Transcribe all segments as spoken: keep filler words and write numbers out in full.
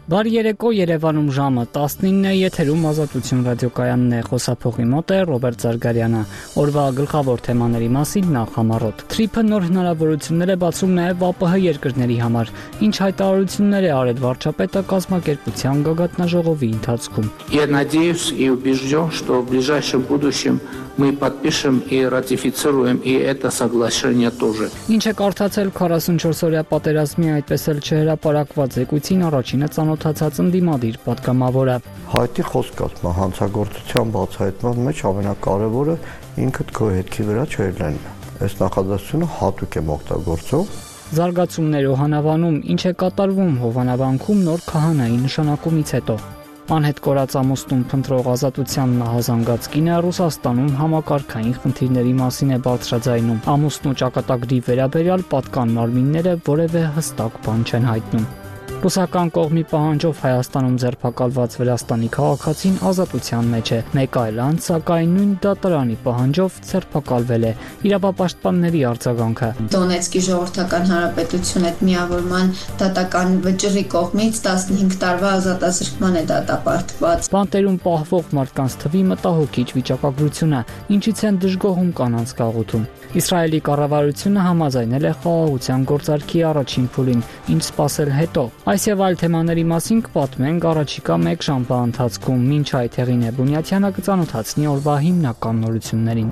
Բարի երեկո, Երևանում ժամը տասնինն է, եթերում Ազատություն ռադիոկայանն է, խոսափողի մոտ է Ռոբերտ Զարգարյանը։ Օրվա գլխավոր թեմաների մասին նախ համառոտ։ Թրիփը նոր հնարավորություններ է բացում նաև ԱՊՀ երկրների համար։ Ինչ հայտարարություններ է արել վարչապետը կազմակերպության գագաթնաժողովի ընթացքում։ Я надеюсь и убежден, что в ближайшем будущем мы подпишем и ратифицируем и это соглашение тоже. Ինչ է կարդացել քառասունչորս-օրյա պատերազմի այդպես էլ չհրապարակված զեկույցին առաջինը ծանոթացած ընդդիմադիր պատգամավորը։ Հայտի խոսք ասում հանցագործության բացահայտման մեջ ամենակարևորը ինքդ քո հետքի վրա չելնելն է։ Այս նախադասությունը հատուկ եմ օգտագործում։ Զարգացումներ Հովանավանում, ինչ է կատարվում Հովանավանքում նոր քահանայի նշանակումից հետո։ Անհետ կորած ամուսնուն փնտրող Ազատության նահազանգած կինը Ռուսաստանում համակարգային խնդիրների մասին է բարձրաձայնում։ Ամուսնու ճակատագրի վերաբերյալ պատկան մարմինները որևէ հստակ բան չեն հայտնում։ Ռուսական կողմի պահանջով Հայաստանում ձերբակալված Վրաստանի քաղաքացին ազատության մեջ է։ Մեկ այլ անձ, սակայն նույն դատարանի պահանջով ձերբակալվել է։ Իրավապաշտպանների արձագանքը։ Դոնեցկի ժողովրդական հանրապետություն հետ միավորման դատական վճռի կողմից տասնհինգ տարվա ազատազրկման է դատապարտված։ Բանտերում պահվող մարդկանց թվի մտահոգիչ վիճակագրությունը, ինչից են դժգոհում կանանց գաղութում։ Իսրայելի կառավարությունը համաձայնել է խաղաղության գործարքի առաջին փուլին, ինչ սպասել հետո։ Այս եւ այլ թեմաների մասին կպատմենք առաջիկա մեկ ժամվա ընթացքում, մինչ այդ Հեղինե Բունյաթյանը կծանոթացնի օրվա հիմնական նորություններին։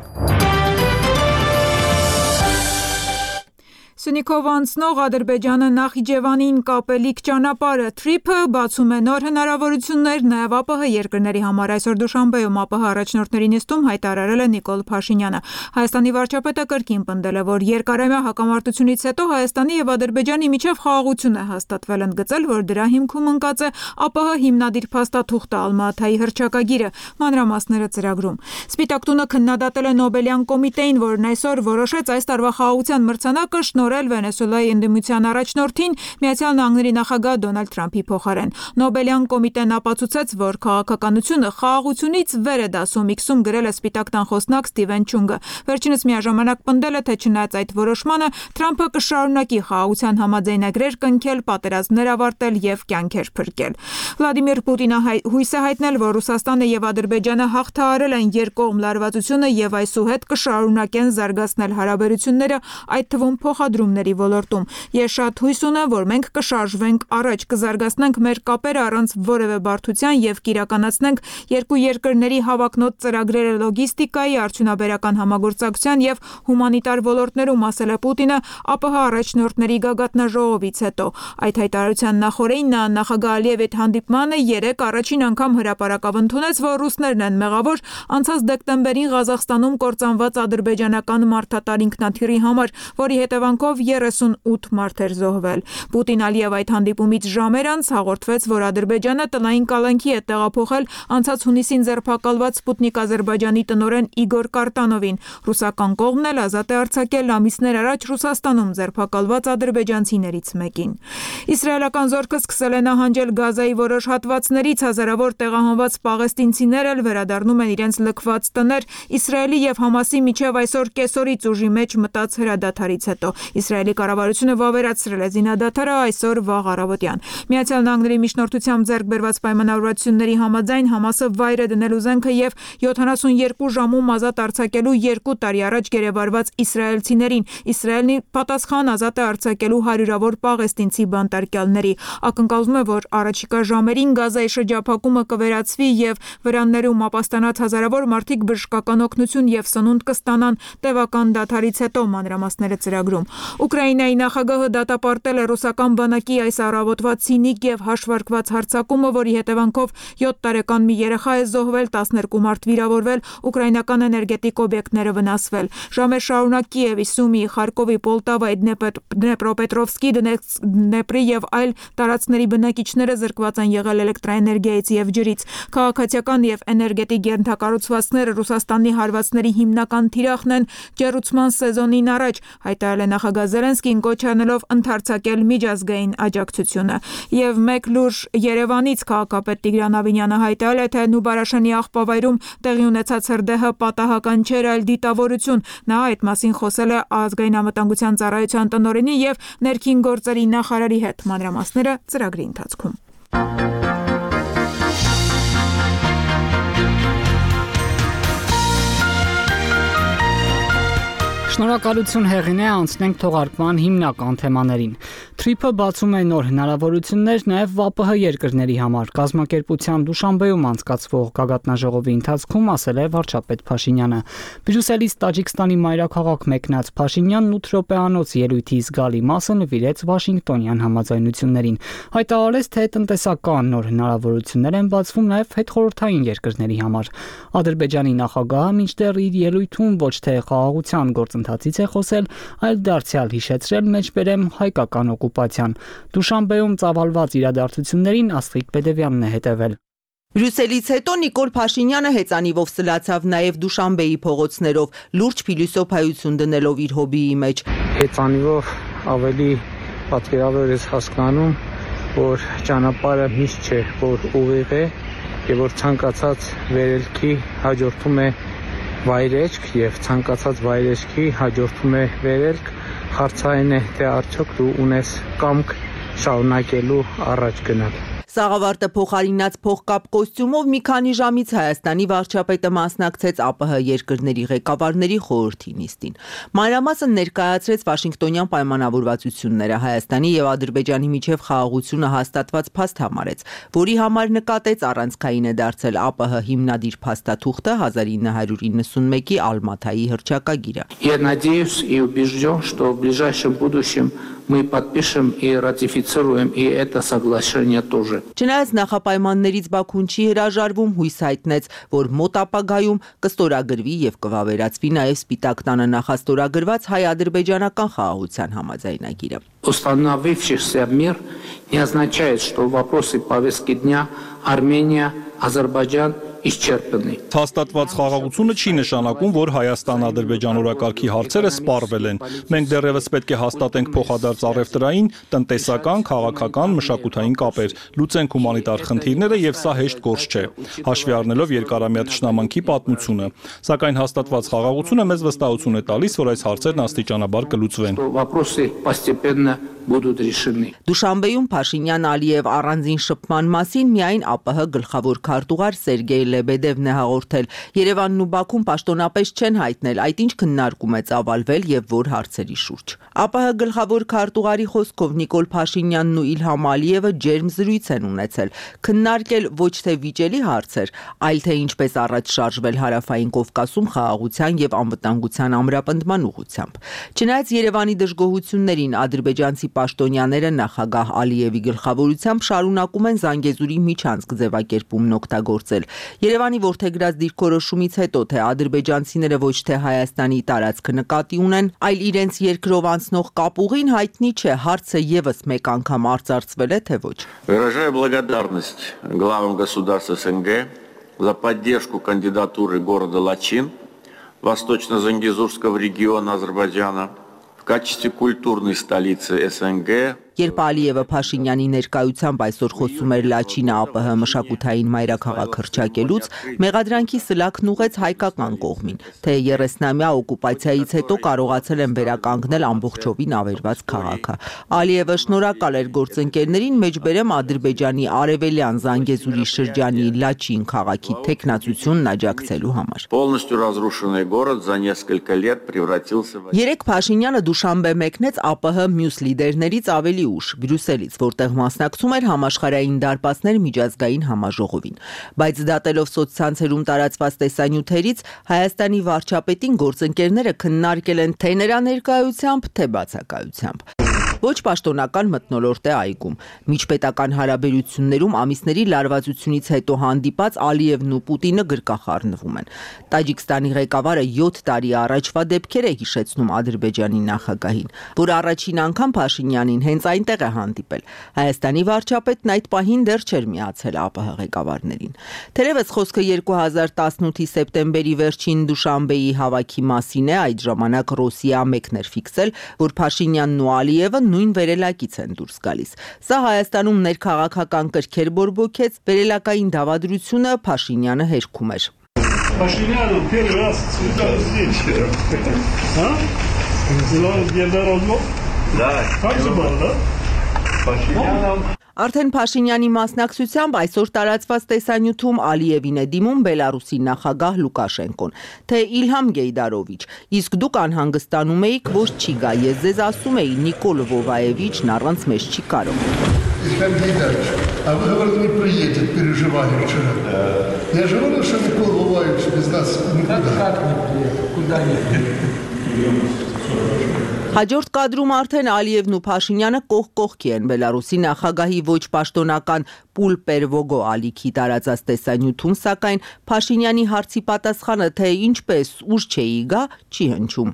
Սյունիքով անցնող Ադրբեջանը Նախիջևանին կապելիք ճանապարհը Թրիփը բացում է նոր հնարավորություններ նաև ԱՊՀ երկրների համար։ Այսօր Դուշանբեում ԱՊՀ առաջնորդների նիստում հայտարարել է Նիկոլ Փաշինյանը։ Հայաստանի վարչապետը կրկին պնդել է, որ երկարամյա հակամարտությունից հետո Հայաստանի եւ Ադրբեջանի միջև խաղաղություն է հաստատվել, ընդգծել, որ դրա հիմքում ընկած է ԱՊՀ հիմնադիր փաստաթուղթը Ալմա-Աթայի հռչակագիրը, մանրամասները ծրագրում։ Սպիտակ տունը քննադատել է Նոբելյան կոմիտեին, որն այսօր որոշեց այս տարվա խաղաղության մրցանակը շնորհել Վենեսուելայի ընդդիմության առաջնորդին Միացյալ Նահանգների նախագահ Դոնալդ Թրամփի փոխարեն։ Նոբելյան կոմիտեն ապացուցեց, որ քաղաքականությունը խաղաղությունից վեր է դասում, իքսում գրել է Սպիտակ տան խոսնակ Ստիվեն Չունգը։ Վերջինս միաժամանակ պնդել է, թե չնայած այդ որոշմանը Թրամփը կշարունակի խաղաղության համաձայնագրեր կնքել, պատերազմներ ավարտել եւ կյանքեր փրկել։ Վլադիմիր Պուտինը հույս է հայտնել, որ Ռուսաստանը եւ Ադրբեջանը հաղթահարել են երկկողմ լարվածությունը եւ այսուհետ կշարունակեն զարգացնել հարաբերությունները, այդ թվում փոխադրումների ոլորտում։ Ես շատ հույս ունեմ, որ մենք կշարժվենք առաջ, կզարգացնենք մեր կապերը առանց որևէ բարդության եւ կիրականացնենք երկու երկրների հավակնոտ ծրագրերը լոգիստիկայի, արդյունաբերական համագործակցության եւ հումանիտար ոլորտներում, ասել է Պուտինը ԱՊՀ առաջնորդների գագաթնաժողովից հետո։ Այդ հայտարարության նախօրեին նա նախագահ Ալիևի հետ հանդիպմանը երեք առաջին անգամ հրապարակավ ընդունեց, որ ռուսներն են մեղավոր անցած դեկտեմբերին Ղազախստանում կործանված ադրբեջանական մարդատար ինքնաթիռի համար, որի հետևանքով երեսունութ մարդ էր զոհվել։ Պուտին-Ալիև այդ հանդիպումից ժամեր անց հաղորդվեց, որ Ադրբեջանը տնային կալանքի է տեղափոխել անցած հունիսին ձերբակալված Սպուտնիկ Ադրբեջանի տնօրեն Իգոր Կարտանովին։ Ռուսական կողմն էլ ազատ է արձակել ամիսներ առաջ Ռուսաստանում ձերբակալված ադրբեջանցիներից մեկին։ Իսրայելական զորքը սկսել է նահանջել Գազայի որոշ հատվածներից, հազարավոր տեղահանված պաղեստինցիներ էլ վերադառնում են իրենց լքված տներ Իսրայելի եւ Համասի միջև այսօր կեսօրից ուժի մեջ մտած հրադադարից հետո։ Իսրայելի կառավարությունը վավերացրել է զինադադարը այսօր վաղ առավոտյան։ Միացյալ Նահանգների միջնորդությամբ ձեռք բերված պայմանավորվածությունների համաձայն Համասը վայր է դնել ուզենքը եւ յոթանասունյոթ ժամում ազատ արձակելու երկու տարի առաջ գերեվարված իսրայելցիներին։ Իսրայելն ի պատասխան ազատ է արձակելու հարյուրավոր պաղեստինցի բանտարկյալների։ Ակնկալվում է, որ առաջիկա ժամերին Գազայի շրջափակումը կվերացվի եւ վրաններում ապաստանած հազարավոր մարդիկ բժշկական օգնություն եւ սնունդ կստանան տևական դադարից հետո, մանրամասները ծրագրում։ Ուկրաինայի նախագահը դատապարտել է ռուսական բանակի այս առավոտվա ցինիկ եւ հաշվարկված հարձակումը, որի հետևանքով յոթ տարեկան մի երեխա է զոհվել, տասներկու մարդ վիրավորվել, ուկրաինական էներգետիկ օբյեկտները վնասվել։ Ժամեր շարունակ Կիևի, Սումի, Խարկովի, Պոլտավայի, Դնեպրոպետրովսկի, Դնեպրի եւ այլ տարածքների բնակիչները զրկված են եղել էլեկտրաէներգիայից եւ ջրից։ Քաղաքացիական եւ էներգետիկ ենթակառուցվածքները Ռուսաստանի հարվածների հիմնական թիրախն են ջեռուցման սեզոնին առաջ, հայտարարել է նախագահ Զելենսկին, կոչ անելով ընդարձակել միջազգային աջակցությունը։ Եվ մեկ լուր Երևանից քաղաքապետ Տիգրան Ավինյանը հայտարարել է, թե Նուբարաշանի աղբավայրում տեղի ունեցած հրդեհը պատահական չէր, այլ դիտավորություն։ Նա այդ մասին խոսել է ազգային անվտանգության ծառայության տնօրենի եւ ներքին գործերի նախարարի հետ, մանրամասները ծրագրի ընթացքում։ Շնորհակալություն հեղինե, անցնենք թողարկման հիմնական թեմաներին։ Թրիփը բացում է նոր հնարավորություններ նաև ՎԱՊՀ երկրների համար։ Կազմակերպության Դուշանբեում անցկացվող գագաթնաժողովի ընթացքում ասել է վարչապետ Փաշինյանը։ Բրյուսելից Տաջիկստանի մայրաքաղաք մեկնած Փաշինյանն ութ րոպեանոց ելույթի զգալի մասը նվիրեց Վաշինգտոնյան համաձայնություններին։ Հայտարարեց, թե տնտեսական նոր հնարավորություններ են բացվում նաև հետխորհրդային երկրների համար։ Ադրբեջանի նախագահը մինչդեռ իր ելույթում ոչ թե խաղաղության գործընթացից է խոսել, այլ դարձյալ հիշեցրել մեջբերեմ հայկական օկուպացիան։ Դուշանբեում ծավալված իրադարձություններին Աստղիկ Պետևյանն է հետևել։ Բրյուսելից հետո Նիկոլ Փաշինյանը հեծանիվով սլացավ նաև Դուշանբեի փողոցներով, լուրջ փիլիսոփայություն դնելով իր հոբիի մեջ։ Հեծանիվով ավելի պատկերավոր ես հասկանում, որ ճանապարհը միշտ չէ, որ ուղիղ է, եւ որ ցանկացած վերելքի հաջորդում է վայրեջք եւ ցանկացած վայրեջքի հաջորդում է վերելք, հարցային է, թե արդյոք դու ունես կամք շարունակելու առաջ գնալ։ Սաղավարտը փոխարինած փողկապ կոստյումով մի քանի ժամից Հայաստանի վարչապետը մասնակցեց ԱՊՀ երկրների ղեկավարների խորհրդի նիստին։ Մանրամասն ներկայացրեց Վաշինգտոնյան պայմանավորվածությունները, Հայաստանի եւ Ադրբեջանի միջև խաղաղությունը հաստատված փաստ համարեց, որի համար նկատեց առանցքային է դարձել ԱՊՀ հիմնադիր փաստաթուղթը հազար ինը հարյուր իննսունմեկի Ալմաթայի հռչակագիրը։ Я надеюсь и убежден, что в ближайшем будущем мы подпишем и ратифицируем и это соглашение тоже. Չնայած նախապայմաններից Բաքուն չի հրաժարվում, հույս հայտնեց, որ մոտ ապագայում կստորագրվի եւ կվավերացվի նաեւ Սպիտակ տանը նախաստորագրված հայ-ադրբեջանական խաղաղության համաձայնագիրը։ Установившийся мир не означает, что вопросы повестки дня Армения, Азербайджан исчерпаны. Հաստատված խաղաղությունը չի նշանակում, որ Հայաստան-Ադրբեջան օրակարգի հարցերը սպառվել են։ Մենք դեռևս պետք է հաստատենք փոխադարձ առևտրային, տնտեսական, քաղաքական, մշակութային կապեր, լուծենք հումանիտար խնդիրները եւ սա հեշտ գործ չէ, հաշվի առնելով երկարամյա թշնամանքի պատմությունը։ Սակայն հաստատված խաղաղությունը մեզ վստահություն է տալիս, որ այս հարցերն աստիճանաբար կլուծվեն։ Вопросы постепенно будут решены. Դուշանբեում Փաշինյան-Ալիև առանձին շփման մասին միայն ԱՊՀ գլխավոր քարտուղար Սերգեյ Լեբեդևն է հաղորդել։ Երևանն ու Բաքուն պաշտոնապես չեն հայտնել, այդ ինչ քննարկում է ծավալվել եւ որ հարցերի շուրջ։ ԱՊՀ գլխավոր քարտուղարի խոսքով Նիկոլ Փաշինյանն ու Իլհամ Ալիևը ջերմ զրույց են ունեցել, քննարկել ոչ թե վիճելի հարցեր, այլ թե ինչպես առաջ շարժվել Հարավային Կովկասում խաղաղության եւ անվտանգության ամրապնդման ուղղությամբ։ Չնայած Երևանի դժգոհություններին ադրբեջանցի պաշտոնյաները նախագահ Ալիևի գլխավորությամբ շարունակում են Զանգեզուրի միջանցք ձևակերպումն օգտագործել։ Երևանի որդեգրած դիրքորոշումից հետո, թե ադրբեջանցիները ոչ թե Հայաստանի տարածքը նկատի ունեն, այլ իրենց երկրով անցնող կապուղին հայտնի չէ, հարցը եւս մեկ անգամ արծարծվել է, թե ոչ։ Выражаю благодарность главам государств СНГ за поддержку кандидатуры города Лачин, восточно-зангезурского региона Азербайджана, в качестве культурной столицы СНГ. Երբ Ալիևը Փաշինյանի ներկայությամբ այսօր խոսում էր Լաչինը ԱՊՀ մշակութային մայրաքաղաք հռչակելուց, մեղադրանքի սլաքն ուղեց հայկական կողմին, թե երեսնամյա օկուպացիայից հետո կարողացել են վերականգնել ամբողջովին ավերված քաղաքը։ Ալիևը շնորհակալ էր գործընկերներին, մեջբերեմ Ադրբեջանի արևելյան Զանգեզուրի շրջանի Լաչին քաղաքի թեկնածությունն աջակցելու համար։ Полностью разрушенный город за несколько лет превратился в Երեք Փաշինյանը Դուշանբե մեկնեց ԱՊՀ մյուս լիդերներից ավելի ուշ Բրյուսելից, որտեղ մասնակցում էր համաշխարհային դարպասներ միջազգային համաժողովին։ Բայց դատելով սոցցանցերում տարածված տեսանյութերից, Հայաստանի վարչապետին գործընկերները քննարկել են թե նրա ներկայությամբ, թե բացակայությամբ։ Ոչ պաշտոնական մթնոլորտ է այգում։ Միջպետական հարաբերություններում ամիսների լարվածությունից հետո հանդիպած Ալիևն ու Պուտինը գրկախառնվում են։ Տաջիկստանի ղեկավարը յոթ տարի առաջվա դեպքեր է հիշեցնում Ադրբեջանի նախագահին, որ առաջին անգամ Փաշինյանին հենց այնտեղ է հանդիպել։ Հայաստանի վարչապետն այդ պահին դեռ չէր միացել ԱՊՀ ղեկավարներին։ Թերևս խոսքը երկու հազար տասնութի սեպտեմբերի վերջին Դուշանբեի հավաքի մասին է, այդ ժամանակ Ռոսիա մեկն էր ֆիքսել, որ Փաշինյանն ու Ալիևը նույն վերելակից են դուրս գալիս։ Սա Հայաստանում ներքաղաքական կրքեր բորբոքեց, վերելակային դավադրությունը Փաշինյանը հերքում էր։ Փաշինյանը первый раз цветал здесь. А? День народного? Да. Как же было, да? Փաշինյանը Արդեն Փաշինյանի մասնակցությամբ այսօր տարածված տեսանյութում Ալիևին է դիմում Բելարուսի նախագահ Լուկաշենկոն, թե Իլհամ Գեյդարովիչ, իսկ դուք անհանգստանում էիք, որ չի գա, ես ձեզ ասում էի Նիկոլ Վովաևիչն առանց մեզ չի կարող։ Իլհամ Գեյդարովիչ, а вы говорите, не приедет, переживали вчера. Я же говорил, что Никол Воваевич без нас никуда. Как не приедет? Куда не приедет? Հաջորդ կադրում արդեն Ալիևն ու Փաշինյանը կողք կողքի են Բելարուսի նախագահի ոչ պաշտոնական Պուլպերվոգո ալիքի տարածած տեսանյութում, սակայն Փաշինյանի հարցի պատասխանը, թե ինչպես ուժ չէի գա, չի հնչում։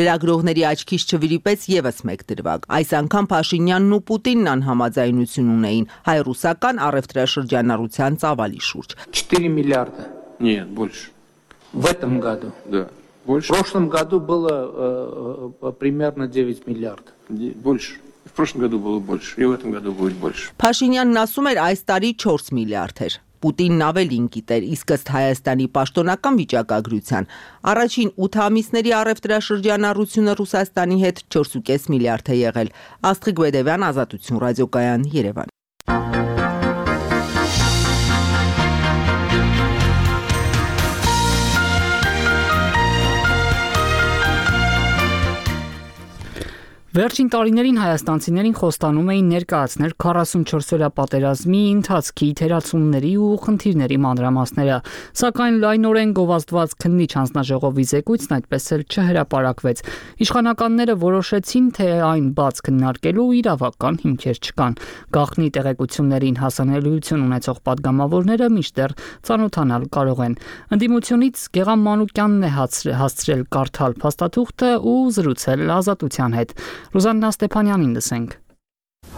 Լրագրողների աչքից չվրիպեց եւս մեկ դրվագ։ Այս անգամ Փաշինյանն ու Պուտինն անհամաձայնություն ունեին հայ-ռուսական առևտրաշրջանառության ծավալի շուրջ։ четыре миллиарда. Нет, больше. В этом году. Да. Больше? В прошлом году было э, примерно девять миллиардов. Больше. В прошлом году было больше. И в этом году будет больше. Փաշինյանն ասում էր այս տարի չորս միլիարդ էր։ Պուտինն ավելին գիտեր, իսկ ըստ Հայաստանի պաշտոնական վիճակագրության առաջին ութ ամիսների առևտրաշրջանառությունը Ռուսաստանի հետ չորսուկես միլիարդ է եղել։ Աստղիկ Բեդևյան, Ազատություն ռադիոկայան, Երևան։ Վերջին տարիներին հայաստանցիներին խոստանում էին ներկայացնել քառասունչորսօրյա պատերազմի ընթացքի թերացումների ու խնդիրների մանրամասները, սակայն լայնորեն գովազդված քննիչ հանձնաժողովի զեկույցն այդպես էլ չհրապարակվեց։ Իշխանականները որոշեցին, թե այն բաց քննարկելու իրավական հիմքեր չկան։ Գաղտնի տեղեկություններին հասանելիություն ունեցող падգամավորները միշտեռ ծանոթանալ կարող են։ Ընդդիմությունից Գեգամ Մանուկյանն է հասցրել կարդալ փաստաթուղթը ու զրուցել Ազատության հետ։ Ռուզաննա Ստեփանյանին լսենք։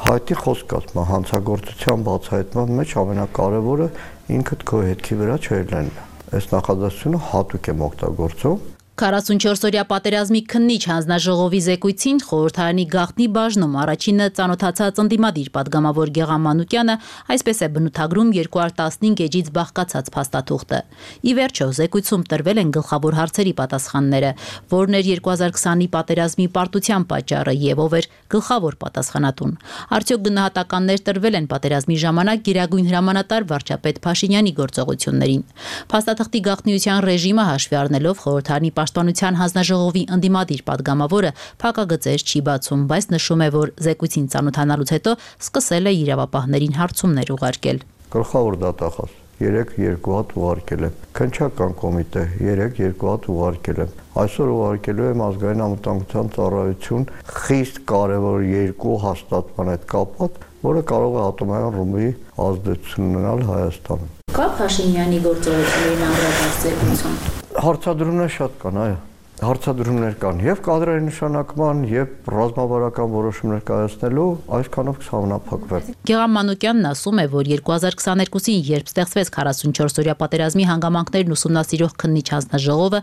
Հայտի խոսք ասма հանցագործության բացահայտման մեջ ամենակարևորը ինքդ քո հետքի վրա չելնելն է։ Այս նախադասությունը հատուկ եմ օգտագործում։ քառասունչորսօրյա պատերազմի քննիչ հանձնաժողովի զեկույցին խորհրդարանի գաղտնի բաժնում առաջինը ծանոթացած ընդդիմադիր падգամավոր Գեգամ Մանուկյանը այսպես է բնութագրում երկու հազար տասնհինգ էջից բաղկացած փաստաթուղթը։ Ի վերջո զեկույցում տրվել են գլխավոր հարցերի պատասխանները, որն էր երկու հազար քսանի պատերազմի պարտության պատճառը եւ ով էր գլխավոր պատասխանատուն։ Արդյոք գնահատականներ տրվել են պատերազմի ժամանակ Գերագույն հրամանատար վարչապետ Փաշինյանի գործողություններին։ Փաստաթղթի գաղտնիության ռեժիմը հաշվի առնելով խորհրդարանի Պաշտպանության հանձնաժողովի ընդդիմադիր падգամավորը փակագծեր չի բացում, բայց նշում է, որ զեկույցին ծանոթանալուց հետո սկսել է իրավապահներին հարցումներ ուղարկել։ Գլխավոր դատախազ երեք երկու հատ ուղարկել եմ։ Քննչական կոմիտե երեք երկու հատ ուղարկել եմ։ Այսօր ուղարկելու եմ ազգային անվտանգության ծառայություն խիստ կարևոր երկու հաստատման հետ կապված, որը կարող է ատոմային ռումբի ազդեցություն ունենալ Հայաստանում։ Կա Փաշինյանի գործողություններին անդրադարձ զեկույցում։ Հարցադրումներ շատ կան, այո։ Հարցադրումներ կան եւ կադրերի նշանակման եւ ռազմավարական որոշումներ կայացնելու, այսքանով կհամապակվեն։ Գեգամ Մանուկյանն ասում է, որ երկու հազար քսաներկուսին, երբ ստեղծվեց քառասունչորսօրյա պատերազմի հանգամանքներն ուսումնասիրող քննիչ հանձնաժողովը,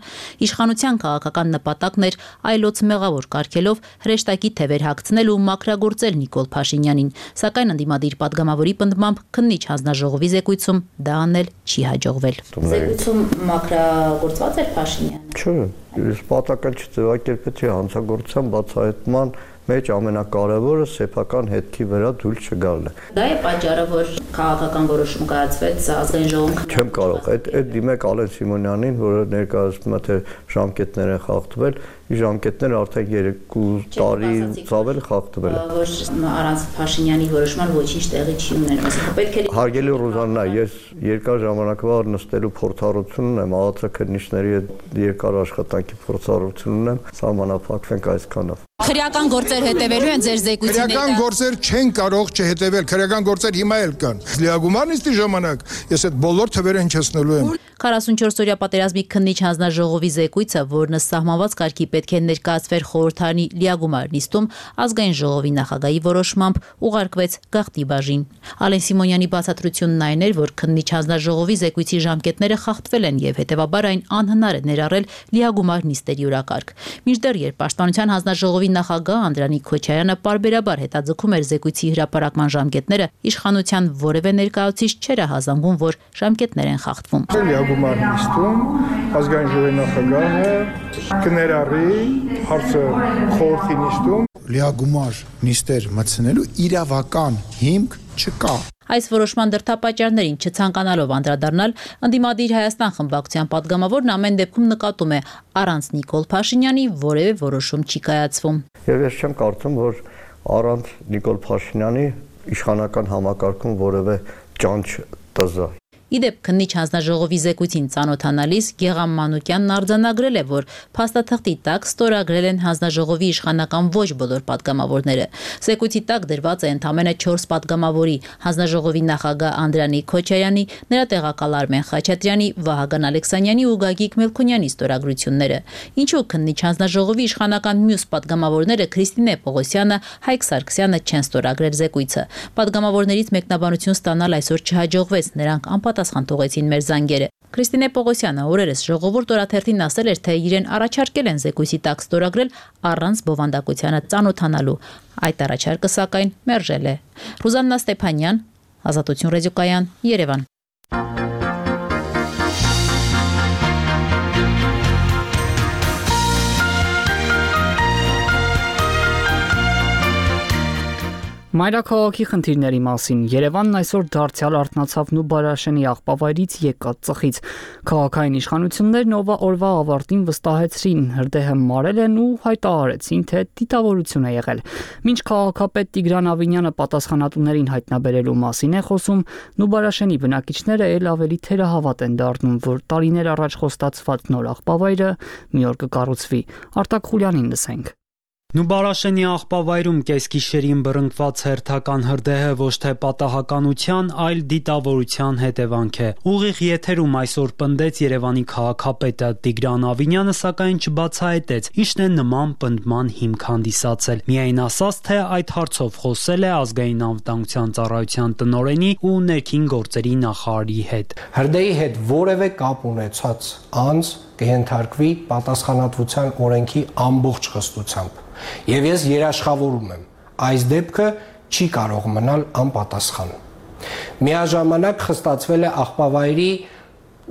իշխանության քաղաքական նպատակն էր այլոց մեղավոր կարգելով հրեշտակի թևեր հագցնել ու մաքրագործել Նիկոլ Փաշինյանին, սակայն ընդդիմադիր падգամավորի պնդմամբ քննիչ հանձնաժողովի զեկույցում դա անել չի հաջողվել։ Զեկույցում մաքրագործված էր Փաշինյանը։ Չէ, ես պատական չձևակերպեցի հանցագործության բացահայտման մեջ ամենակարևորը սեփական հետքի վրա դույլ չգալն է։ Դա է պատճառը, որ քաղաքական որոշում կայացվեց ազգային ժողովում։ Չեմ կարող, այդ այդ դիմեք Ալեն Սիմոնյանին, որը ներկայացնում է թե ժամկետներ են խախտվել, ի ժամկետները արդեն երկու տարի ծավել խախտվել է։ Որ առանց Փաշինյանի որոշման ոչինչ տեղի չի ունենում, այսինքն պետք է։ Հարգելի Ռուզաննա, ես երկար ժամանակվա նստելու փորձառություն ունեմ, ԱԱՑ քննիչների հետ երկար աշխատանքի փորձառություն ունեմ, սահմանափակվենք այսքանով։ Քրեական գործեր հետևելու են ձեր զեկույցի ներկա։ Քրեական գործեր չեն կարող չհետևել, քրեական գործեր հիմա էլ կան։ Լիագումարնիստի ժամանակ ես այդ բոլոր թվերը հնչեցնելու եմ։ քառասունչորսօրյա պատերազմի քննիչ հանձնաժողովի զեկույցը, որն սահմանված կարգի պետք է ներկայացվեր խորհրդարանի լիագումար նիստում, ազգային ժողովի նախագահի որոշմամբ ուղարկվեց գաղտնի բաժին։ Ալեն Սիմոնյանի բացատրությունն այն էր, որ քննիչ հանձնաժողովի զեկույցի ժամկետները խախտվել են եւ հետեւաբար այն անհնար է ներառել լիագումար նիստերի օրակարգ։ Մինչդեռ երբ Պաշտպանության հանձնաժողովի նախագահ Անդրանիկ Քոչարյանը պարբերաբար հետաձգում էր զեկույցի հրապարակման ժամկետները, իշխանության որևէ ներկայացուցիչ չէր հազանգում, որ ժամկետներ են խախտվում։ համագումար նիստում ազգային ժողովի նախագահը կներառի հարցը խորհրդի նիստում լիագումար նիստեր մտցնելու իրավական հիմք չկա։ Այս որոշման դրդապատճառներին չցանկանալով անդրադառնալ, ընդդիմադիր Հայաստան խմբակցության падգամավորն ամեն դեպքում նկատում է առանց Նիկոլ Փաշինյանի որևէ որոշում չի կայացվում։ Եվ ես չեմ կարծում, որ առանց Նիկոլ Փաշինյանի իշխանական համակարգում որևէ ճանճ տզա։ Իդեպ քննիչ հանձնաժողովի զեկույցին ծանոթանալիս Գեգամ Մանուկյանն արձանագրել է, որ փաստաթղթի տակ ստորագրել են հանձնաժողովի իշխանական ոչ բոլոր падգամավորները։ Զեկույցի տակ դրված է ընդամենը չորս падգամավորի՝ հանձնաժողովի նախագահ Անդրանիկ Քոչարյանի, նրա տեղակալ Արմեն Խաչատրյանի, Վահագն Ալեքսանյանի ու Գագիկ Մելքոնյանի ստորագրությունները։ Ինչու քննիչ հանձնաժողովի իշխանական մյուս падգամավորները Քրիստինե Պողոսյանը, Հայկ Սարգսյանը չեն ստորագրել զեկույցը։ Падգամավորներից մեկնաբանություն ստանալ այսօր չհաջողվեց, նրանք անպատասխան թողեցին մեր զանգերը։ Քրիստինե Պողոսյանը օրերս ժողովուրդ օրաթերթին ասել էր, թե իրեն առաջարկել են զեկույցի տակ ստորագրել առանց բովանդակությանը ծանոթանալու։ Այդ առաջարկը սակայն մերժել է։ Ռուզաննա Ստեփանյան, Ազատություն ռադիոկայան, Երևան։ Մայրաքաղաքի խնդիրների մասին Երևանն այսօր դարձյալ արթնացավ Նուբարաշենի աղբավայրից եկած ծխից։ Քաղաքային իշխանություններն օրվա ավարտին վստահեցրին, հրդեհը մարել են ու հայտարարեցին, թե դիտավորություն է եղել։ Մինչ քաղաքապետ Տիգրան Ավինյանը պատասխանատուներին հայտնաբերելու մասին է խոսում, Նուբարաշենի բնակիչները ել ավելի թերահավատ են դառնում, որ տարիներ առաջ խոստացված նոր աղբավայրը մի օր կկառուցվի։ Արտակ Խուլյանին լսենք։ Նուբարաշենի աղբավայրում կեսգիշերին բռնկված հերթական հրդեհը ոչ թե պատահականության, այլ դիտավորության հետևանք է։ Ուղիղ եթերում այսօր պնդեց Երևանի քաղաքապետը Տիգրան Ավինյանը, սակայն չբացահայտեց, ինչն է նման պնդման հիմք հանդիսացել։ Միայն ասաց, թե այդ հարցով խոսել է ազգային անվտանգության ծառայության տնօրենի ու ներքին գործերի նախարարի հետ։ Հրդեհի հետ որևէ կապ ունեցած անձ կհենթարկվի պատասխանատվության օրենքի ամբողջ խստությամբ։ Եվ ես երաշխավորում եմ, այս դեպքը չի կարող մնալ անպատասխան։ Միաժամանակ խստացվել է աղբավայրի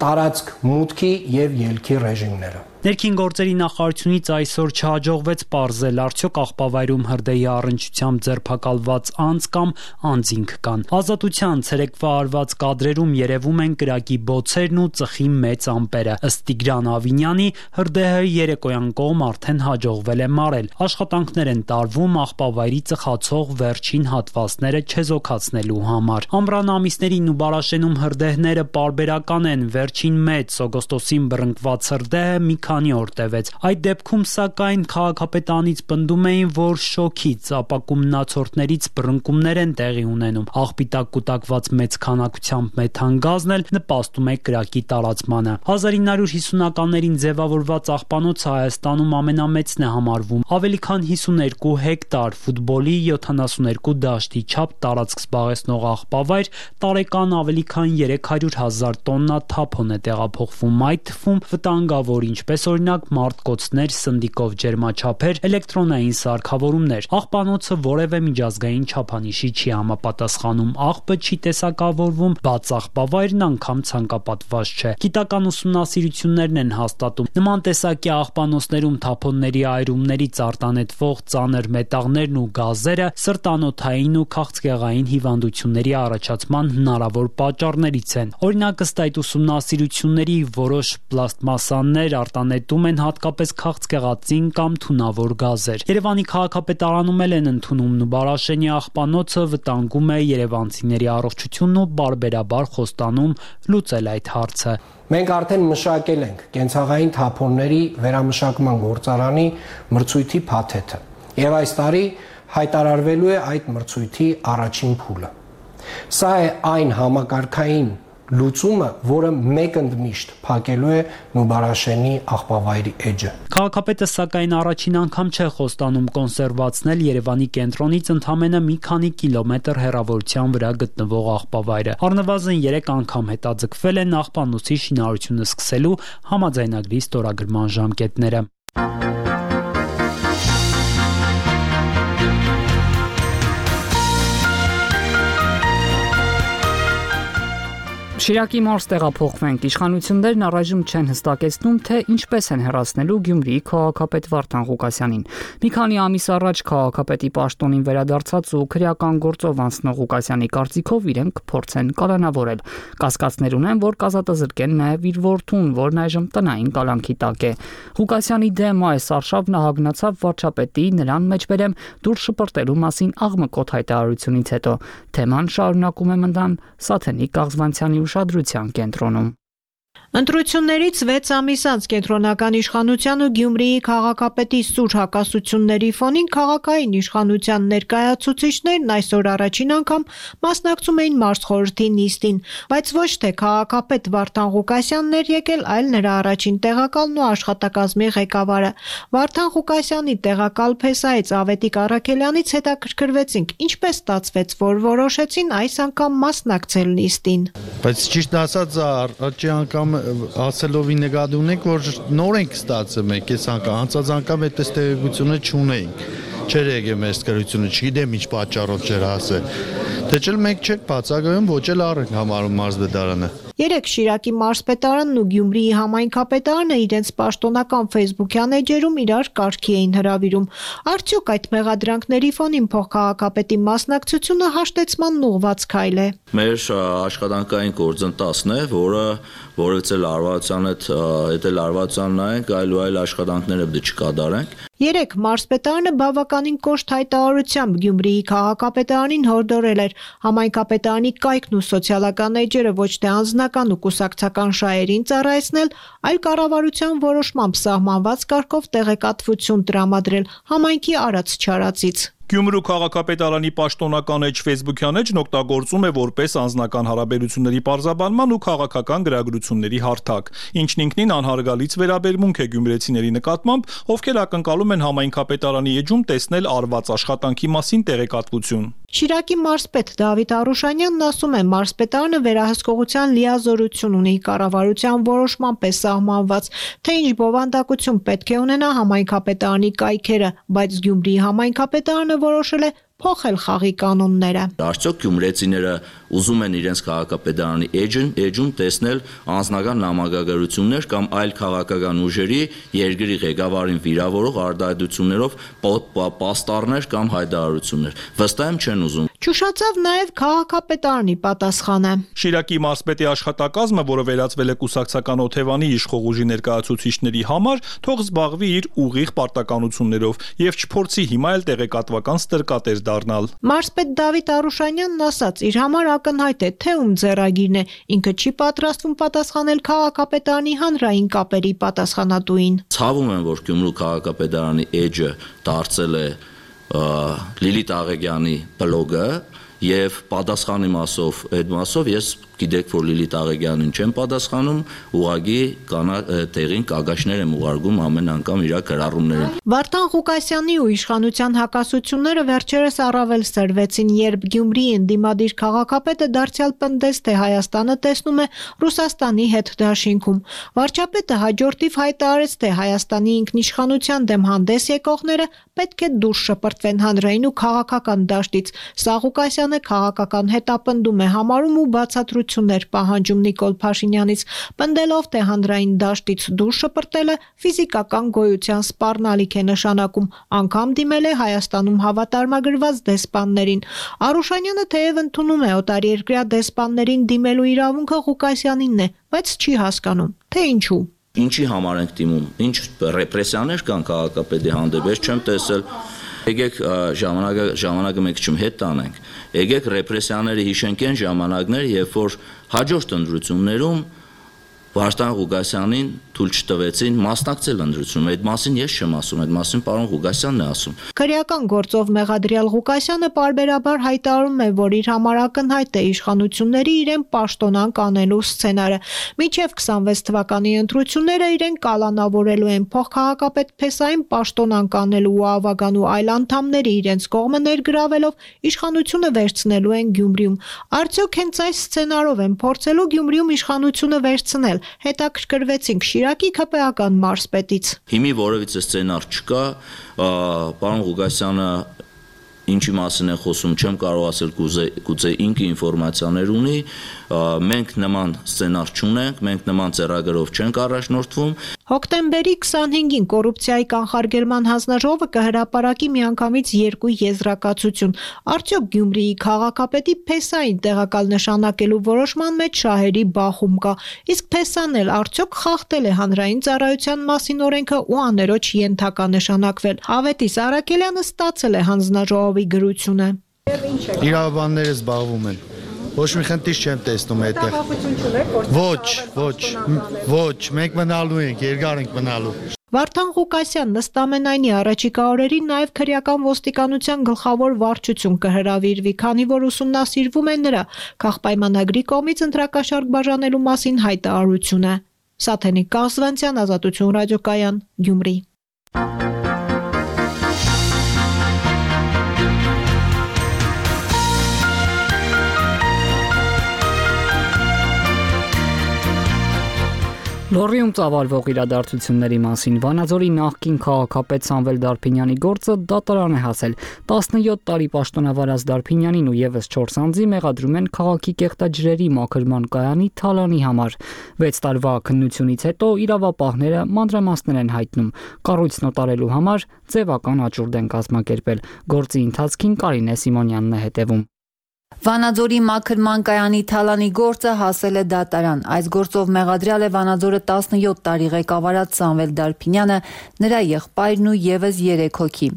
տարածք մուտքի եւ ելքի ռեժիմները։ Ներքին գործերի նախարարությունից այսօր չհաջողվեց պարզել, արդյոք աղբավայրում հրդեհի առնչությամբ ձերբակալված անձ կամ անձինք կան։ Ազատության ցերեկվա արված կադրերում երևում են կրակի բոցերն ու ծխի մեծ ամպերը։ Ըստ Տիգրան Ավինյանի, հրդեհը երեկոյան կողմ արդեն հաջողվել է մարել։ Աշխատանքներ են տարվում աղբավայրի ծխացող վերջին հատվածները չեզոքացնելու համար։ Ամռան ամիսներին Նուբարաշենում հրդեհները պարբերական են։ Վերջին մեծ օգոստոսին բռնկված հրդեհը մի քանի օր տևեց։ Այդ դեպքում սակայն քաղաքապետանից պնդում էին, որ շոքից ապակումնացորդներից բռնկումներ են տեղի ունենում։ Աղբիտակ կուտակված մեծ քանակությամբ մեթանգազն էլ նպաստում է կրակի տարածմանը։ հազար ինը հարյուր հիսունականներին ձևավորված աղբանոցը Հայաստանում ամենամեծն է համարվում։ Ավելի քան հիսուներկու հեկտար ֆուտբոլի յոթանասուներկու դաշտի չափ տարածք զբաղեցնող աղբավայր տարեկան ավելի քան երեք հարյուր հազար տոննա թափոն է տեղափոխվում, այդ թվում վտանգավոր, ինչպես օրինակ մարտկոցներ, սնդիկով ջերմաչափեր, էլեկտրոնային սարքավորումներ։ Աղբանոցը որևէ միջազգային չափանիշի չի համապատասխանում, աղբը չի տեսակավորվում, բաց աղբավայրն անգամ ցանկապատված չէ։ Գիտական ուսումնասիրություններն են հաստատում, նման տեսակի աղբանոցներում թափոնների այրումներից արտանետվող ծանր մետաղներն ու գազերը սրտանոթային ու քաղցկեղային հիվանդությունների առաջացման հնարավոր պատճառներից են։ Օրինակ, ըստ այդ ուսումնասիրությունների, որոշ պլաստմասաններ արտանետում են հատկապես քաղցկեղածին կամ թունավոր գազեր։ Երևանի քաղաքապետարանում են ընդունում Նուբարաշենի աղբանոցը վտանգում է երևանցիների առողջությունն ու բարբերաբար խոստանում լուծել այդ հարցը։ Մենք արդեն մշակել ենք կենցաղային թափոնների վերամշակման գործարանի մրցույթի փաթեթը, եւ այս տարի հայտարարվելու է այդ մրցույթի առաջին փուլը։ Սա է այն համակարգային լուծումը, որը մեկընդմիշտ փակելու է Նուբարաշենի աղբավայրի էջը։ Քաղաքապետը սակայն առաջին անգամ չէ խոստանում կոնսերվացնել Երևանի կենտրոնից ընդամենը մի քանի կիլոմետր հեռավորության վրա գտնվող աղբավայրը։ Առնվազն երեք անգամ հետաձգվել են աղբանոցի շինարարությունը սկսելու համաձայնագրի ստորագրման ժամկետները։ Շիրակի մարզ տեղափոխվենք։ Իշխանություններն առայժմ չեն հստակեցնում, թե ինչպես են հեռացնելու Գյումրիի քաղաքապետ Վարդան Ղուկասյանին։ Մի քանի ամիս առաջ քաղաքապետի պաշտոնին վերադարձած ու քրեական գործով անցնող Ղուկասյանի կարծիքով իրենք փորձեն կալանավորել։ Կասկածներ ունեն, որ կազատազրկեն նաև իր որդուն, որն այժմ տնային կալանքի տակ է։ Ղուկասյանի դեմ այս արշավն ահագնացավ վարչապետի նրան մեջբերեմ դուրս շպրտելու մասին աղմկոտ հայտարարությունից հետո։ Թեման շարունակում է մնալ Սաթենիկ Կաղզվանցյանի ուշադրության կենտրոնում։ Ընտրություններից վեց ամիս անց կենտրոնական իշխանության ու Գյումրիի քաղաքապետի սուր հակասությունների ֆոնին քաղաքային իշխանության ներկայացուցիչներն այսօր առաջին անգամ մասնակցում էին մարզխորհրդի նիստին, բայց ոչ թե քաղաքապետ Վարդան Ղուկասյանն էր եկել, այլ նրա առաջին տեղակալն ու աշխատակազմի ղեկավարը։ Վարդան Ղուկասյանի տեղակալ փեսայից Ավետիք Առաքելյանից հետաքրքրվեցինք, ինչպես ստացվեց, որ որոշեցին այս անգամ մասնակցել նիստին։ Բայց ճիշտ ասած, առաջի անգամ ասելով ի նկատի ունենք, որ նոր ենք ստացել մենք այս անգամ, անցած անգամ այդ տեղեկությունը չունեինք, չէր եկել մեր սկրությունը, չգիտեմ ինչ պատճառով չէր ասել, թե չէ մենք չենք բացակայում, ոչ էլ առ ենք համարում մարզպետարանը։ Երեք Շիրակի մարզպետարանն ու Գյումրիի համայնքապետարանը իրենց պաշտոնական ֆեյսբուքյան էջերում իրար կարգի էին հրավիրում։ Արդյոք այդ մեղադրանքների ֆոնին փոխքաղաքապետի մասնակցությունը հաշտեցման ուղղված քայլ է։ Մեր աշխատանքային գործընթացն է, որը որից էլ արվացան հետ հետ էլ արվացան նայենք, այլ ու այլ աշխատանքները պետք է չկատարենք։ Երեք մարզպետարանը բավականին կոշտ հայտարարությամբ Գյումրիի քաղաքապետարանին հորդորել էր համայնքապետարանի կայքն ու սոցիալական էջերը ոչ թե անձնական ու կուսակցական շահերին ծառայեցնել, այլ կառավարության որոշմամբ սահմանված կարգով տեղեկատվություն տրամադրել համայնքի արած-չարածից։ Գյումրու քաղաքապետարանի պաշտոնական էջ ֆեյսբուքյան էջն օգտագործում է որպես անձնական հարաբերությունների պարզաբանման ու քաղաքական գրագրությունների հարթակ, ինչն ինքնին անհարգալից վերաբերմունք է գյումրեցիների նկատմամբ, ովքեր ակնկալում են համայնքապետարանի էջում տեսնել արված աշխատանքի մասին տեղեկատվություն։ Շիրակի մարզպետ Դավիթ Արուշանյանն ասում է, մարզպետարանը վերահսկողության լիազորություն ունի կառավարության որոշմամբ է սահմանված, թե ինչ բովանդակություն պետք է ունենա համայնքապետարանի կայքերը, բայց Գյումրիի համայնքապետարանը որոշել է փոխել խաղի կանոնները։ Արդյոք գյումրեցիները ուզում են իրենց քաղաքապետարանի էջն էջում տեսնել անձնական նամակագրություններ կամ այլ քաղաքական ուժերի երկրի ղեկավարին վիրավորող արտահայտություններով պաստառներ կամ հայտարարություններ։ Վստահ եմ չեն ուզում։ Ճուշացավ նաև քաղաքապետարանի պատասխանը։ Շիրակի մարզպետի աշխատակազմը, որը վերածվել է կուսակցական օթևանի իշխող ուժի ներկայացուցիչների համար, թող զբաղվի իր ուղիղ պարտականություններով եւ չփորձի հիմա էլ տեղեկատվական ստրկատեր դառնալ։ Մարզպետ Դավիթ Արուշանյանն ասաց, իր համար ակնհայտ է, թե ում ձեռագիրն է, ինքը չի պատրաստվում պատասխանել քաղաքապետարանի հանրային կապերի պատասխանատուին։ Ցավում եմ, որ Գյումրու քաղաքապետարանի էջը դարձել է Լիլիթ Աղեգյանի բլոգը եւ պատասխանի մասով այդ մասով ես գիտեք, որ Լիլիթ Աղեգյանին չեմ պատասխանում, ուղղակի տեղին կագաշներ եմ ուղարկում ամեն անգամ իր գրառումներին։ Վարդան Ղուկասյանի ու իշխանության հակասությունները վերջերս առավել սրվեցին, երբ Գյումրիի ընդդիմադիր քաղաքապետը դարձյալ պնդեց, թե Հայաստանը տեսնում է Ռուսաստանի հետ դաշինքում։ Վարչապետը հաջորդիվ հայտարարեց, թե Հայաստանի ինքնիշխանության դեմ հանդես եկողները պետք է դուրս շպրտվեն հանրային ու քաղաքական դաշտից։ Սա Ղուկասյանը քաղաքական հետապնդում է համարում ու բացատրություններ պահանջում Նիկոլ Փաշինյանից, պնդելով, թե հանրային դաշտից դուրս շպրտելը ֆիզիկական գոյության սպառնալիք է նշանակում, անգամ դիմել է Հայաստանում հավատարմագրված դեսպաններին։ Արուշանյանը թեև ընդունում է օտարերկրյա դեսպաններին դիմելու իրավունքը Ղուկասյանինն է, բայց չի հասկանում, թե ինչու։ Ինչի համար ենք դիմում, ինչ ռեպրեսիաներ կան քաղաքապետի հանդեպ, ես չեմ տեսել։ Եկեք ժամանակը ժամանակը մեկ չում հետ տանենք։ Եկեք ռեպրեսիաները հիշենք այն ժամանակներ, երբ որ հաջորդ ընտրություններում Վարդան Ղուկասյանին թույլ չտվեցին մասնակցել ընտրությունում։ Այդ մասին ես չեմ ասում, այդ մասին պարոն Ղուկասյանն է ասում։ Քրեական գործով մեղադրյալ Ղուկասյանը պարբերաբար հայտարարում է, որ իր համար ակնհայտ է իշխանությունների իրեն պաշտոնանկ անելու սցենարը։ Մինչև քսանվեց թվականի ընտրությունները իրեն կալանավորելու են փոխքաղաքապետ Փեսային պաշտոնանկ անելու ու ավագան ու այլ անդամների իրենց կողմը ներգրավելով իշխանությունը վերցնելու են Գյումրիում։ Արդյոք հենց այս սցենարով են փորձելու Գյումրիում իշխանությունը վերցնել։ Հետաքրքրվեցինք Շիրակի ՔՊԱ-ական մարզպետից։ Հիմի որևիցե սցենար չկա, պարոն Ղուկասյանը ինչի մասին է խոսում, չեմ կարող ասել, գուցե գուցե ինքը ինֆորմացիաներ ունի, մենք նման սցենար չունենք, մենք նման ծրագրով չենք առաջնորդվում։ Հոկտեմբերի քսանհինգին կոռուպցիայի կանխարգելման հանձնաժողովը կհրապարակի միանգամից երկու եզրակացություն։ Արդյոք Գյումրիի քաղաքապետի փեսային տեղակալ նշանակելու որոշման մեջ շահերի բախում կա, իսկ փեսան էլ արդյոք խախտել է հանրային ծառայության մասին օրենքը ու աներոջ ենթակա նշանակվել։ Ավետիս Արաքելյանը ստացել է հանձնաժողովի գրությունը։ Իրավաբանները զբաղվում են։ Ոչ մի խնդիր չեմ տեսնում այդտեղ։ Ոչ, ոչ, ոչ, մենք մնալու ենք, երկար ենք մնալու։ Վարդան Ղուկասյան նստամենայնի առաջիկա օրերին նաև քրեական ոստիկանության գլխավոր վարչություն կհրավիրվի, քանի որ ուսումնասիրվում է նրա քաղաքպայմանագրի կողմից ընտրակաշառք բաժանելու մասին հայտարարությունը։ Սաթենիկ Կազվանցյան, Ազատություն ռադիոկայան, Գյումրի։ Լոռիում ծավալվող իրադարձությունների մասին Վանաձորի նախկին քաղաքապետ Սամվել Դարփինյանի գործը դատարան է հասել։ տասնյոթ տարի պաշտոնավարած Դարփինյանին ու եւս չորս անձի մեղադրում են քաղաքի կեղտաջրերի մաքրման կայանի թալանի համար։ վեց տարվա քննությունից հետո իրավապահները մանրամասներ են հայտնում։ Կառույցն օտարելու համար ձևական աճուրդ են կազմակերպել։ Գործի ընթացքին Կարինե Սիմոնյանն է հետևում։ Վանաձորի մաքրման կայանի թալանի գործը հասել է դատարան։ Այս գործով մեղադրյալ է Վանաձորը տասնյոթ տարի ղեկավարած Սամվել Դարփինյանը, նրա եղբայրն ու եւս երեք հոգի։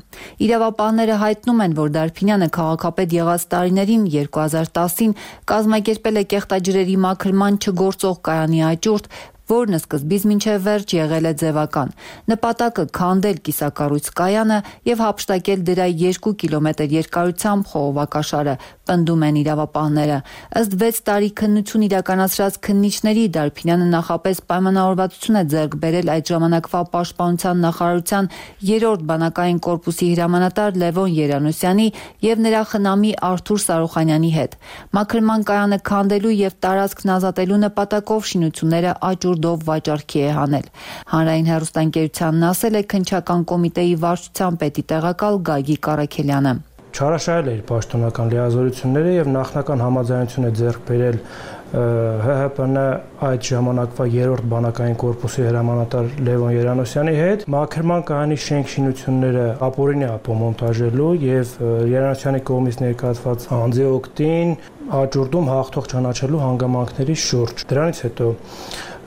Իրավապահները հայտնում են, որ Դարփինյանը քաղաքապետ եղած տարիներին երկու հազար տասին կազմակերպել է կեղտաջրերի մաքրման չգործող կայանի աճուրդ, որն սկզբից մինչև վերջ եղել է ձևական։ Նպատակը քանդել կիսակառույց կայանը եւ հափշտակել դրա երկու կիլոմետր երկարությամբ խողովակաշարը, պնդում են իրավապահները։ Ըստ վեց տարի քննություն իրականացրած քննիչների Դարփինյանը նախապես պայմանավորվածություն է ձեռք բերել այդ ժամանակվա պաշտպանության նախարարության երրորդ բանակային կորպուսի հրամանատար Լևոն Երանոսյանի եւ նրա խնամի Արթուր Սարոխանյանի հետ։ Մաքրման կայանը քանդելու եւ տարածքն ազատելու նպատակով շինությունները աճ դով վաճառքի է հանել։ Հանրային հեռուստաընկերությանն ասել է քննչական կոմիտեի վարչության պետի տեղակալ Գագիկ Առաքելյանը։ Չարաշահել է իր պաշտոնական լիազորությունները եւ նախնական համաձայնություն է ձեռք բերել Հ Հ Պ Ն այդ ժամանակվա երրորդ բանակային կորպուսի հրամանատար Լևոն Երանոսյանի հետ մաքրման կայանի շենք շինությունները ապօրինի ապոմոնտաժելու եւ Երանոսյանի կողմից ներկայացված անձի օգտին աճուրդում հաղթող ճանաչելու հանգամանքների շուրջ։ Դրանից հետո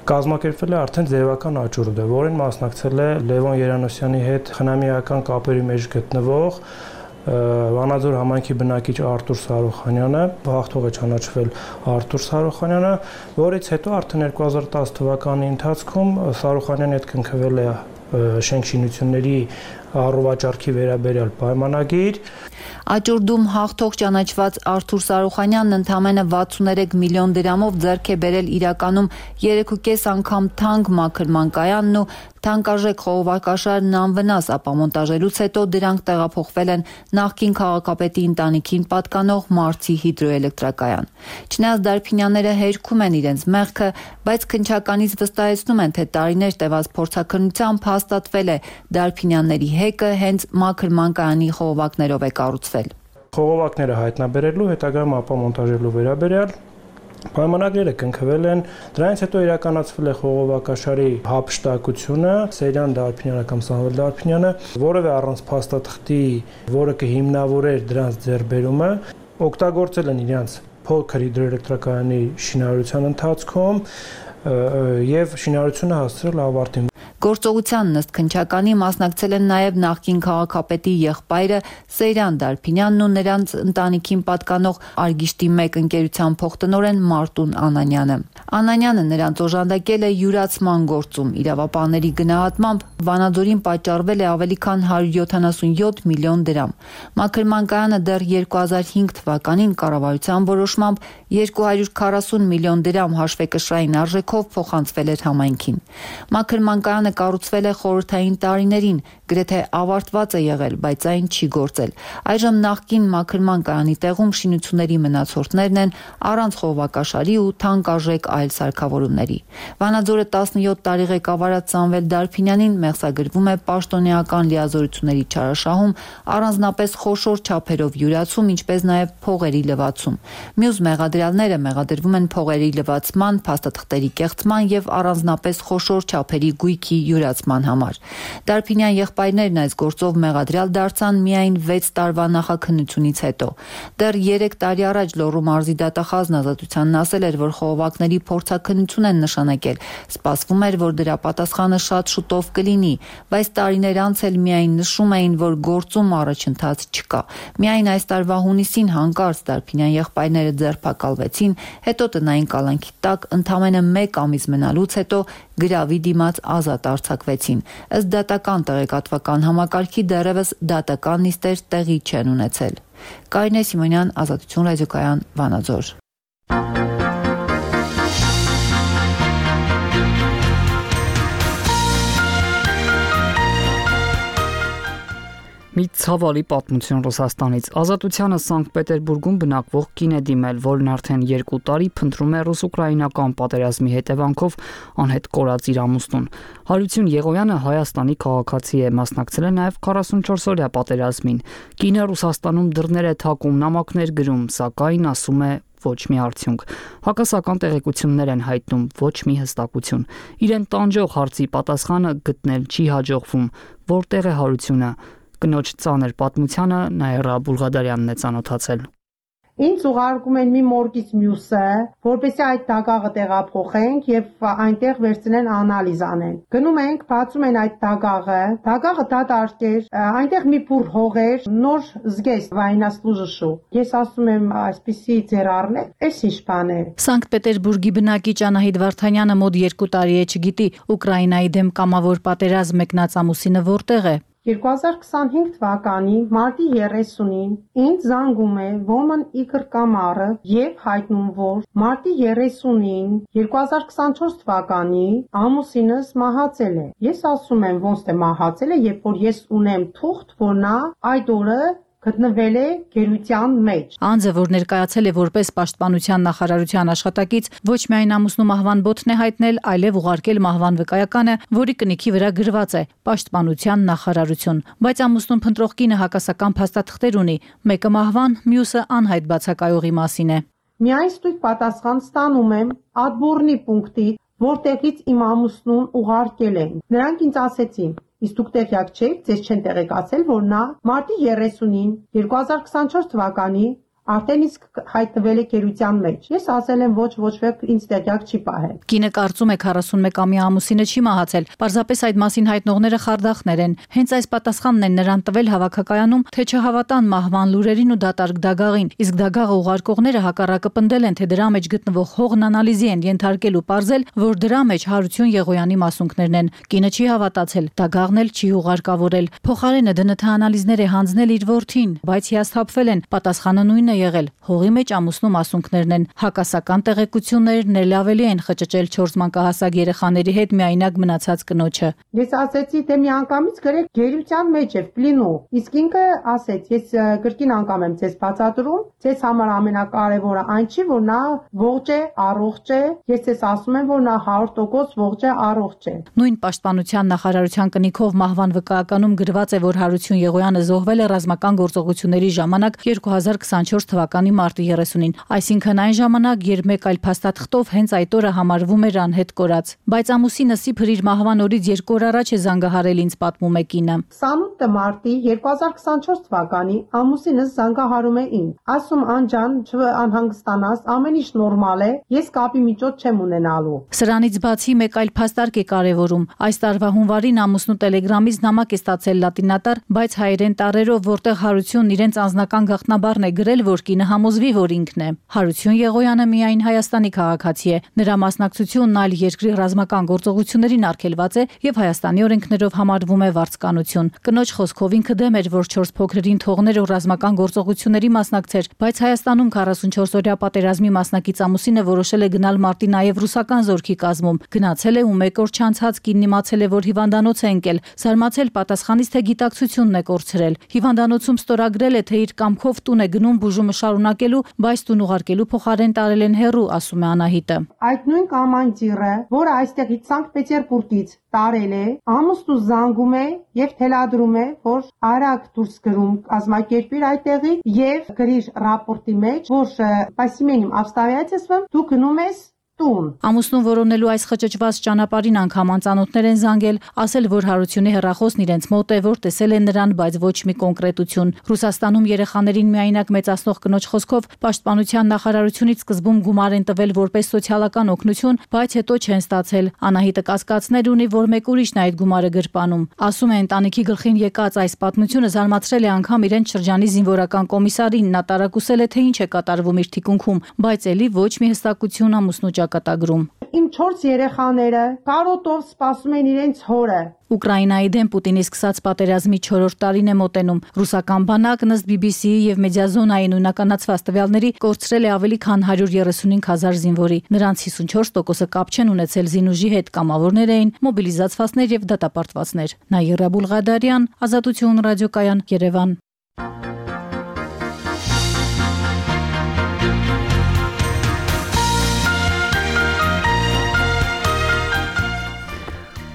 կազմակերպվել է արդեն ձևական աճուրդը, որին մասնակցել է Լևոն Երանոսյանի հետ խնամիական կապերի մեջ գտնվող Վանաձոր համայնքի բնակիչ Արթուր Սարոխանյանը, հաղթող է ճանաչվել Արթուր Սարոխանյանը, որից հետո արդեն երկու հազար տասը թվականի ընթացքում Սարոխանյանի հետ կնքվել է շենք շինությունների առողջարքի վերաբերյալ պայմանագիր։ Աճուրդում հաղթող ճանաչված Արթուր Սարոխանյանն ընդամենը վաթսուներեք միլիոն դրամով ձեռք է բերել իրականում երեք ու կես անգամ թանկ մաքրման կայանն ու թանկարժեք խողովակաշարն անվնաս ապամոնտաժելուց հետո դրանք տեղափոխվել են նախկին քաղաքապետի ընտանիքին պատկանող Մարցի հիդրոէլեկտրակայան։ Չնայած Դարփինյանները հերքում են իրենց մեղքը, բայց քննչականից վստահեցնում են, թե տարիներ տևած փորձաքննությամբ հաստատվել է Դարփինյանների հեկը հենց մաքրման կայանի խողովակներով է կառուցվել։ Խողովակները հայտնաբերելու, հետագայում ապամոնտաժելու վերաբերյալ պայմանագրերը կնքվել են, դրանից հետո իրականացվել է խողովակաշարի հափշտակությունը, Սերյան Դարփինյանը կամ Սամվել Դարփինյանը, որևէ առանց փաստաթղթի, որը կհիմնավորեր դրանց ձեռքբերումը, օգտագործել են իրենց փոքր հիդրոէլեկտրակայանի շինարարության ընթացքում եւ շինարարությունը հասցրել ավարտին։ Գործողությանն ըստ քննչականի մասնակցել են նաև նախկին քաղաքապետի եղբայրը Սեյրան Դարփինյանն ու նրանց ընտանիքին պատկանող Արգիշտի մեկ ընկերության փոխտնօրեն Մարտուն Անանյանը։ Անանյանը նրանց օժանդակել է յուրացման գործում։ Իրավապահների գնահատմամբ Վանաձորին պատճառվել է ավելի քան հարյուր յոթանասունյոթ միլիոն դրամ։ Մաքրման կայանը դեռ երկու հազար հինգ թվականին կառավարության որոշմամբ երկու հարյուր քառասուն միլիոն դրամ հաշվեկշռային արժեքով փոխանցվել էր համայնքին։ Մաքրման կայանը կառուցվել է խորհրդային տարիներին, գրեթե ավարտված է եղել, բայց այն չի գործել։ Այժմ նախկին մաքրման կայանի տեղում շինությունների մնացորդներն են առանց խողովակաշարի ու թանկարժեք այլ սարքավորումների։ Վանաձորը տասնյոթ տարի ղեկավարած Սամվել Դարփինյանին մեղսագրվում է պաշտոնեական լիազորությունների չարաշահում, առանձնապես խոշոր չափերով յուրացում, ինչպես նաև փողերի լվացում։ Մյուս մեղադրյալները մեղադրվում են փողերի լվացման, փաստաթղթերի կեղծման եւ առանձնապես խոշոր չափերի գույքի յուրացման համար։ Դարփինյան եղբայրներն այս գործով մեղադրյալ դարձան միայն վեց տարվա նախաքննությունից հետո։ Դեռ երեք տարի առաջ Լոռու մարզի դատախազն ազատությանն ասել էր, որ խողովակների փորձաքննություն են նշանակել։ Սպասվում էր, որ դրա պատասխանը շատ շուտով կլինի, բայց տարիներ անց էլ միայն նշում էին, որ գործում առաջընթաց չկա։ Միայն այս տարվա հունիսին հանկարծ Դարփինյան եղբայրները ձերբակալվեցին, հետո տնային կալանքի տակ ընդամենը մեկ ամիս մնալուց հետո գրավի դիմաց ազատ արձակվեցին։ Ըստ դատական տեղեկատվական համակարգի դեռևս դատական նիստեր տեղի չեն ունեցել։ Կարինե Սիմոնյան, Ազատություն ռադիոկայան, Վանաձոր։ Մի ցավալի պատմություն Ռուսաստանից։ Ազատությանը Սանկտ Պետերբուրգում բնակվող կին է դիմել, որն արդեն երկու տարի փնտրում է ռուս-ուկրաինական պատերազմի հետևանքով անհետ կորած իր ամուսնուն։ Հարություն Եղոյանը Հայաստանի քաղաքացի է, մասնակցել է նաև քառասունչորսօրյա պատերազմին։ Կինը Ռուսաստանում դռներ է թակում, նամակներ գրում, սակայն ասում է ոչ մի արդյունք։ Հակասական տեղեկություններ են հայտնում, ոչ մի հստակություն։ Իրեն տանջող հարցի պատասխանը գտնել չի հաջողվում։ Որտեղ է Հարությունը։ Կնոջ ծանր պատմությանը Նաիրա Բուլղադարյանն է ծանոթացել։ Ինձ ուղարկում են մի մորգից մյուսը, որպեսզի այդ դագաղը տեղափոխենք եւ այնտեղ վերցնեն անալիզ անեն։ Գնում ենք, բացում են այդ դագաղը, դագաղը դատարկ էր, այնտեղ մի փուր հող էր, նոր զգեստ վայնասլուժշու։ Ես ասում եմ, այսպիսի ձեր առնել, էս ինչ բան է։ Սանկտ Պետերբուրգի բնակիչ Անահիտ Վարդանյանը մոտ երկու տարի է չգիտի Ուկրաինայի դեմ կամավոր պատերազմ մեկնած ամուսինը որտեղ է։ երկու հազար քսանհինգ թվականի մարտի երեսունին ինձ զանգում է Woman Igor Կամարը եւ հայտնում, որ մարտի երեսունին երկու հազար քսանչորս թվականի ամուսինս մահացել է։ Ես ասում եմ, ոնց թե մահացել է, երբ որ ես ունեմ թուղթ, որ նա այդ օրը գտնվել է գերության մեջ։ Անձը, որ ներկայացել է որպես պաշտպանության նախարարության աշխատակից, ոչ միայն ամուսնու մահվան բոթն է հայտնել, այլև ուղարկել մահվան վկայականը, որի կնիքի վրա գրված է պաշտպանության նախարարություն։ Բայց ամուսնուն փնտրող կինը հակասական փաստաթղթեր ունի, մեկը մահվան, մյուսը անհայտ բացակայողի մասին է։ Միայն ստույգ պատասխան ստանում եմ Ադբորնի պունկտի, որտեղից իմ ամուսնուն ուղարկել են։ Նրանք ինձ ասեցին. Իսկ դուք տեղյակ չեք, ձեզ չեն տեղեկացել, որ նա մարտի երեսունին երկու հազար քսանչորս թվականի արդեն իսկ հայտնվել է գերության մեջ։ Ես ասել եմ ոչ ոչ ոք ինձ տեղյակ չի պահել։ Կինը կարծում է քառասունմեկամյա ամուսինը չի մահացել, պարզապես այդ մասին հայտնողները խարդախներ են։ Հենց այս պատասխանն են նրան տվել հավաքակայանում, թե չհավատան մահվան լուրերին ու դատարկ դագաղին, իսկ դագաղը ուղարկողները հակառակը պնդել են, թե դրա մեջ գտնվող հողն անալիզի են ենթարկել ու պարզել, որ դրա մեջ Հարություն Եղոյանի մասունքներն են։ Կինը չի հավատացել, դագաղն էլ չի ուղարկավորել։ Փոխարենը ԴՆԹ անալիզներ է հանձնել իր որդին, բայց հիասթափվել են, պատասխանը նույնն է եղել։ Հողի մեջ ամուսնու մասունքներն են։ Հակասական տեղեկություններն էլ ավելի են խճճել չորս մանկահասակ երեխաների հետ միայնակ մնացած կնոջը։ Ես ասեցի, թե մի անգամից գրեք գերության մեջ է պլինու։ Իսկ ինքը ասեց, ես գրքին անգամ եմ ձեզ բացատրում, ձեզ համար ամենակարևորը այն չի, որ նա ողջ է, առողջ է։ Ես ձեզ ասում եմ, որ նա հարյուր տոկոս ողջ է, առողջ է։ Նույն պաշտպանության նախարարության կնիքով մահվան վկայականում գրված է, որ Հարություն Եղոյանը զոհվել է ռազմական գործողությունների ժամանակ երկու հազար քսանչորս թվականի մարտի երեսունին, այսինքն այն ժամանակ, երբ մեկ այլ փաստաթղթով հենց այդ օրը համարվում էր անհետ կորած։ Բայց ամուսինը Սիփր իր մահվան օրից երկու օր առաջ է զանգահարել ինձ, պատմում է կինը։ քսանութ մարտի երկու հազար քսանչորս թվականի ամուսինս զանգահարում է ինձ, ասում անջան, չանհանգստանաս, ամեն ինչ նորմալ է, ես կապի միջոց չեմ ունենալու։ Սրանից բացի մեկ այլ փաստարկ է կարևորում։ Այս տարվա հունվարին ամուսնու Տելեգրամից նամակ է ստացել լատինատար, բայց հայերեն տառերով, որտեղ Հարությունն իրենց անձնական գաղտնաբառն է գրել, որ կինը համոզվի, որ ինքն է։ Հարություն Եղոյանը միայն Հայաստանի քաղաքացի է։ Նրա մասնակցությունն այլ երկրի ռազմական գործողություններին արգելված է եւ Հայաստանի օրենքներով համարվում է վարձկանություն։ Կնոջ խոսքով ինքը դեմ էր, որ չորս փոքրերին թողներ ու ռազմական գործողությունների մասնակցեր, բայց Հայաստանում քառասունչորսօրյա պատերազմի մասնակից ամուսինը որոշել է գնալ մարտի նաեւ ռուսական զորքի կազմում։ Գնացել է ու մեկ օր չանցած կինն իմացել է, որ հիվանդանոց է ընկել։ Զարմացել պատասխանից, թե գիտակցությունն է կորցրել։ Հիվանդանոցում ստորագրել է, թե իր կամքով տուն է գնում, բուժում կառավարումը շարունակելու, բայց տուն ուղարկելու փոխարեն տարել են հեռու, ասում է Անահիտը։ Այդ նույն կամանջիրը, որը այստեղից Սանկտ Պետերբուրգից տարել է, ամուսնու զանգում է եւ թելադրում է, որ արագ դուրս գրում կազմակերպիր այդտեղի եւ գրիր ռապորտի մեջ, որ спасением обстоятельствам դու գնում ես տուն։ Ամուսնուն որոնելու այս խճճված ճանապարհին անգամ անծանոթներ են զանգել, ասել, որ Հարությունի հեռախոսն իրենց մոտ է, որ տեսել են նրան, բայց ոչ մի կոնկրետություն։ Ռուսաստանում երեխաներին միայնակ մեծացնող կնոջ խոսքով պաշտպանության նախարարությունից սկզբում գումար են տվել որպես սոցիալական օգնություն, բայց հետո չեն ստացել։ Անահիտը կասկածներ ունի, որ մեկ ուրիշն է այդ գումարը գրպանում։ Ասում է, ընտանիքի գլխին եկած այս պատմությունը զարմացրել է անգամ իրենց շրջանի զինվորական կոմիսարին, նա տարակուսել է, թե ինչ է կատարվում իր թիկունքում, բայց ելի ոչ մի հստակություն ամուսնու կատագրում։ Իմ չորս երեխաները կարոտով սպասում են իրենց հորը։ Ուկրաինայի դեմ Պուտինի սկսած պատերազմի չորրորդ տարին է մոտենում։ Ռուսական բանակն ըստ բի բի սի-ի եւ Մեդիազոնայի նույնականացված տվյալների կորցրել է ավելի քան հարյուր երեսունհինգ հազար զինվորի։ Նրանց հիսունչորս տոկոսը կապ չեն ունեցել զինուժի հետ, կամավորներ էին, մոբիլիզացվածներ եւ դատապարտվածներ։ Նաիրա Բուլղադարյան, Ազատություն ռադիոկայան, Երևան։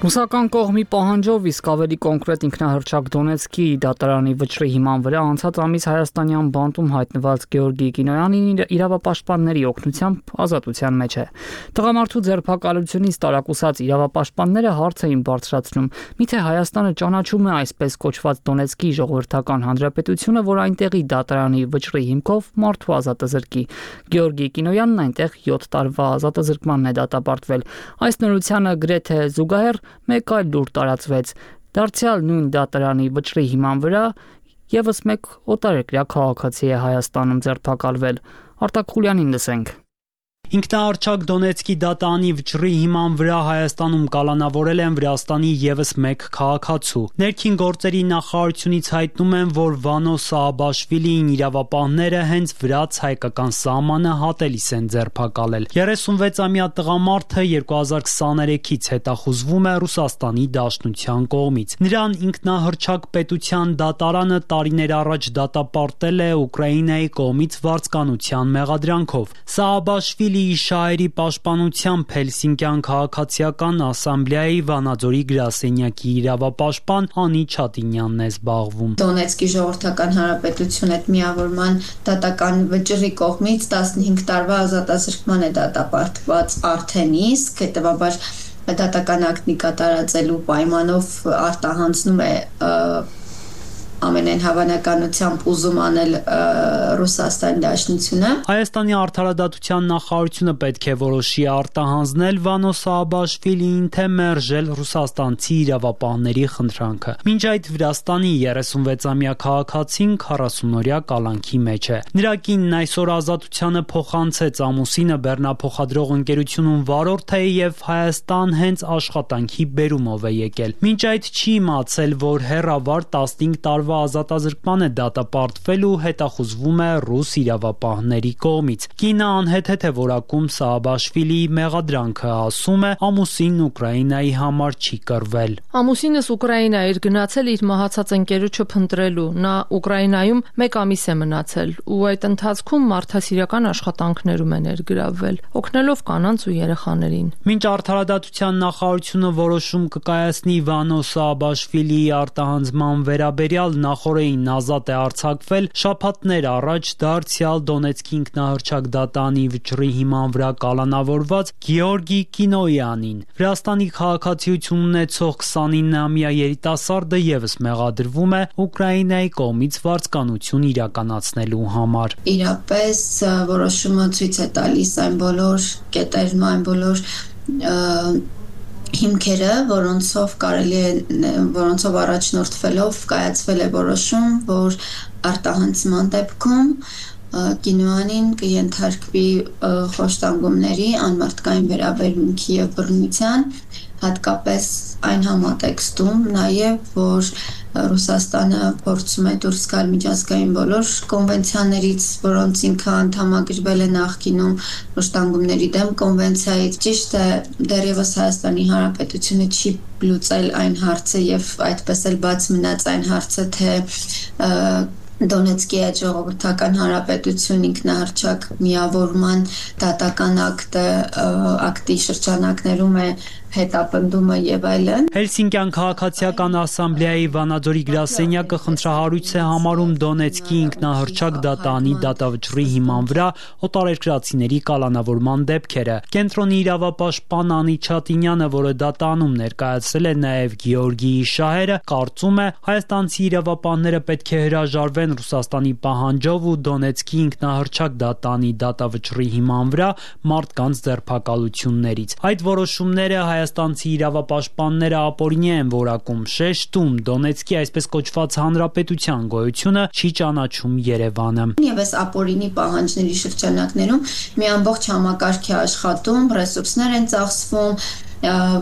Ռուսական կողմի պահանջով իսկ ավելի կոնկրետ ինքնահռչակ Դոնեցկի դատարանի վճռի հիման վրա անցած ամիս հայաստանյան բանտում հայտնված Գեորգի Կինոյանին իրավապաշտպանների օգնությամբ ազատության մեջ է։ Տղամարդու ձերբակալությունից տարակուսած իրավապաշտպանները հարց էին բարձրացնում՝ միթե Հայաստանը ճանաչում է այսպես կոչված Դոնեցկի ժողովրդական հանրապետությունը, որ այնտեղի դատարանի վճռի հիմքով մարդու ազատազրկի։ Գեորգի Կինոյանն այնտեղ յոթ տարվա ազատազրկմանն է դատապարտվել։ Այս նորությանը գրեթե զուգահեռ մեկ այլ լուր տարածվեց։ Դարձյալ նույն դատարանի վճռի հիման վրա եւս մեկ օտարերկրյա քաղաքացի է Հայաստանում ձերբակալվել։ Արտակ Խուլյանին լսենք։ Ինքնահռչակ Դոնեցկի դատարանի վճռի հիման վրա Հայաստանում կալանավորել են Վրաստանի եւս մեկ քաղաքացու։ Ներքին գործերի նախարարությունից հայտնում են, որ Վանո Սահաբաշվիլիին իրավապահները հենց վրաց-հայկական սահմանը հատելիս են ձերբակալել։ երեսունվեցամյա տղամարդը երկու հազար քսաներեքից հետախուզվում է Ռուսաստանի Դաշնության կողմից։ Նրան ինքնահռչակ պետության դատարանը տարիներ առաջ դատապարտել է Ուկրաինայի կողմից վարձկանության մեղադրանքով։ Սահաբաշվիլի Շահերի պաշտպանությամբ Հելսինկյան քաղաքացիական ասամբլեայի Վանաձորի գրասենյակի իրավապաշտպան Անի Չատինյանն է զբաղվում։ Դոնեցկի ժողովրդական հանրապետություն հետ միավորման դատական վճռի կողմից տասնհինգ տարվա ազատազրկման է դատապարտված արդեն իսկ, հետևաբար դատական ակտի կատարածելու պայմանով արտահանձնում է ամենայն հավանականությամբ ուզում անել Ռուսաստանի Դաշնությունը։ Հայաստանի արդարադատության նախարարությունը պետք է որոշի արտահանձնել Վանո Սահաբաշվիլիին, թե մերժել ռուսաստանցի իրավապահների խնդրանքը։ Մինչ այդ Վրաստանի երեսունվեցամյա քաղաքացին քառասունօրյա կալանքի մեջ է։ Նրա կինն այսօր ազատությանը փոխանցեց ամուսինը բեռնափոխադրող ընկերությունում վարորդ է եւ Հայաստան հենց աշխատանքի բերումով է եկել։ Մինչ այդ չի իմացել, որ հեռավար տասնհինգ տարվա ազատազրկման է դատապարտվել ու հետախուզվում է ռուս իրավապահների կողմից։ Կինը անհեթեթ է որակում Սահաբաշվիլիի մեղադրանքը, ասում է ամուսինն Ուկրաինայի համար չի կռվել։ Ամուսինս Ուկրաինա էր գնացել իր մահացած ընկերոջը փնտրելու։ Նա Ուկրաինայում մեկ ամիս է մնացել ու այդ ընթացքում մարդասիրական աշխատանքներում է ներգրավվել, օգնելով կանանց ու երեխաներին։ Մինչ արդարադատության նախարարությունը որոշում կկայացնի Վանո Սահաբաշվիլիի արտահանձման վերաբերյալ նախորդին ազատ է արձակվել, շաբաթներ առաջ դարձյալ Դոնեցկի ինքնահռչակ դատարանի վճռի հիման վրա կալանավորված Գեորգի Կինոյանին։ Վրաստանի քաղաքացիություն ունեցող քսանինամյա երիտասարդը եւս մեղադրվում է Ուկրաինայի կողմից վարձկանություն իրականացնելու համար։ Իրապես որոշումը ցույց է տալիս այն բոլոր կետերն, այն բոլոր հիմքերը, որոնցով կարելի է, որոնցով առաջնորդվելով կայացվել է որոշում, որ արտահանձման դեպքում Կինոյանին կենթարկվի խոշտանգումների, անմարդկային վերաբերմունքի եւ բռնության, հատկապես այն համատեքստում նաև, որ Ռուսաստանը փորձում է դուրս գալ միջազգային բոլոր կոնվենցիաներից, որոնց ինքը անդամագրվել է նախկինում, խոշտանգումների դեմ կոնվենցիայից։ Ճիշտ է, դեռևս Հայաստանի Հանրապետությունը չի լուծել այն հարցը եւ այդպես էլ բաց մնաց այն հարցը, թե Դոնեցկի այդ ժողովրդական հանրապետություն ինքնահռչակ միավորման դատական ակտը ակտի շրջանակներում է հետապնդումը եւ այլն։ Հելսինկյան քաղաքացիական ասամբլեայի Վանաձորի գրասենյակը խնդրահարույց է համարում Դոնեցկի ինքնահռչակ դատանի դատավճռի հիման վրա օտարերկրացիների կալանավորման դեպքերը։ Կենտրոնի իրավապաշտպան Անի Չատինյանը, որը դատանում ներկայացրել է նաեւ Գեորգիի շահերը, կարծում է հայաստանցի իրավապանները պետք է հրաժարվեն Ռուսաստանի պահանջով ու Դոնեցկի ինքնահռչակ դատանի դատավճռի հիման վրա մարդկանց ձերբակալություններից։ Այդ որոշումները հայաստանցի իրավապաշտպանները ապօրինի են որակում, շեշտում Դոնեցկի այսպես կոչված հանրապետության գոյությունը չի ճանաչում Երևանը։ Եվս ապօրինի պահանջների շրջանակներում մի ամբողջ համակարգ է աշխատում, ռեսուրսներ են ծախսվում,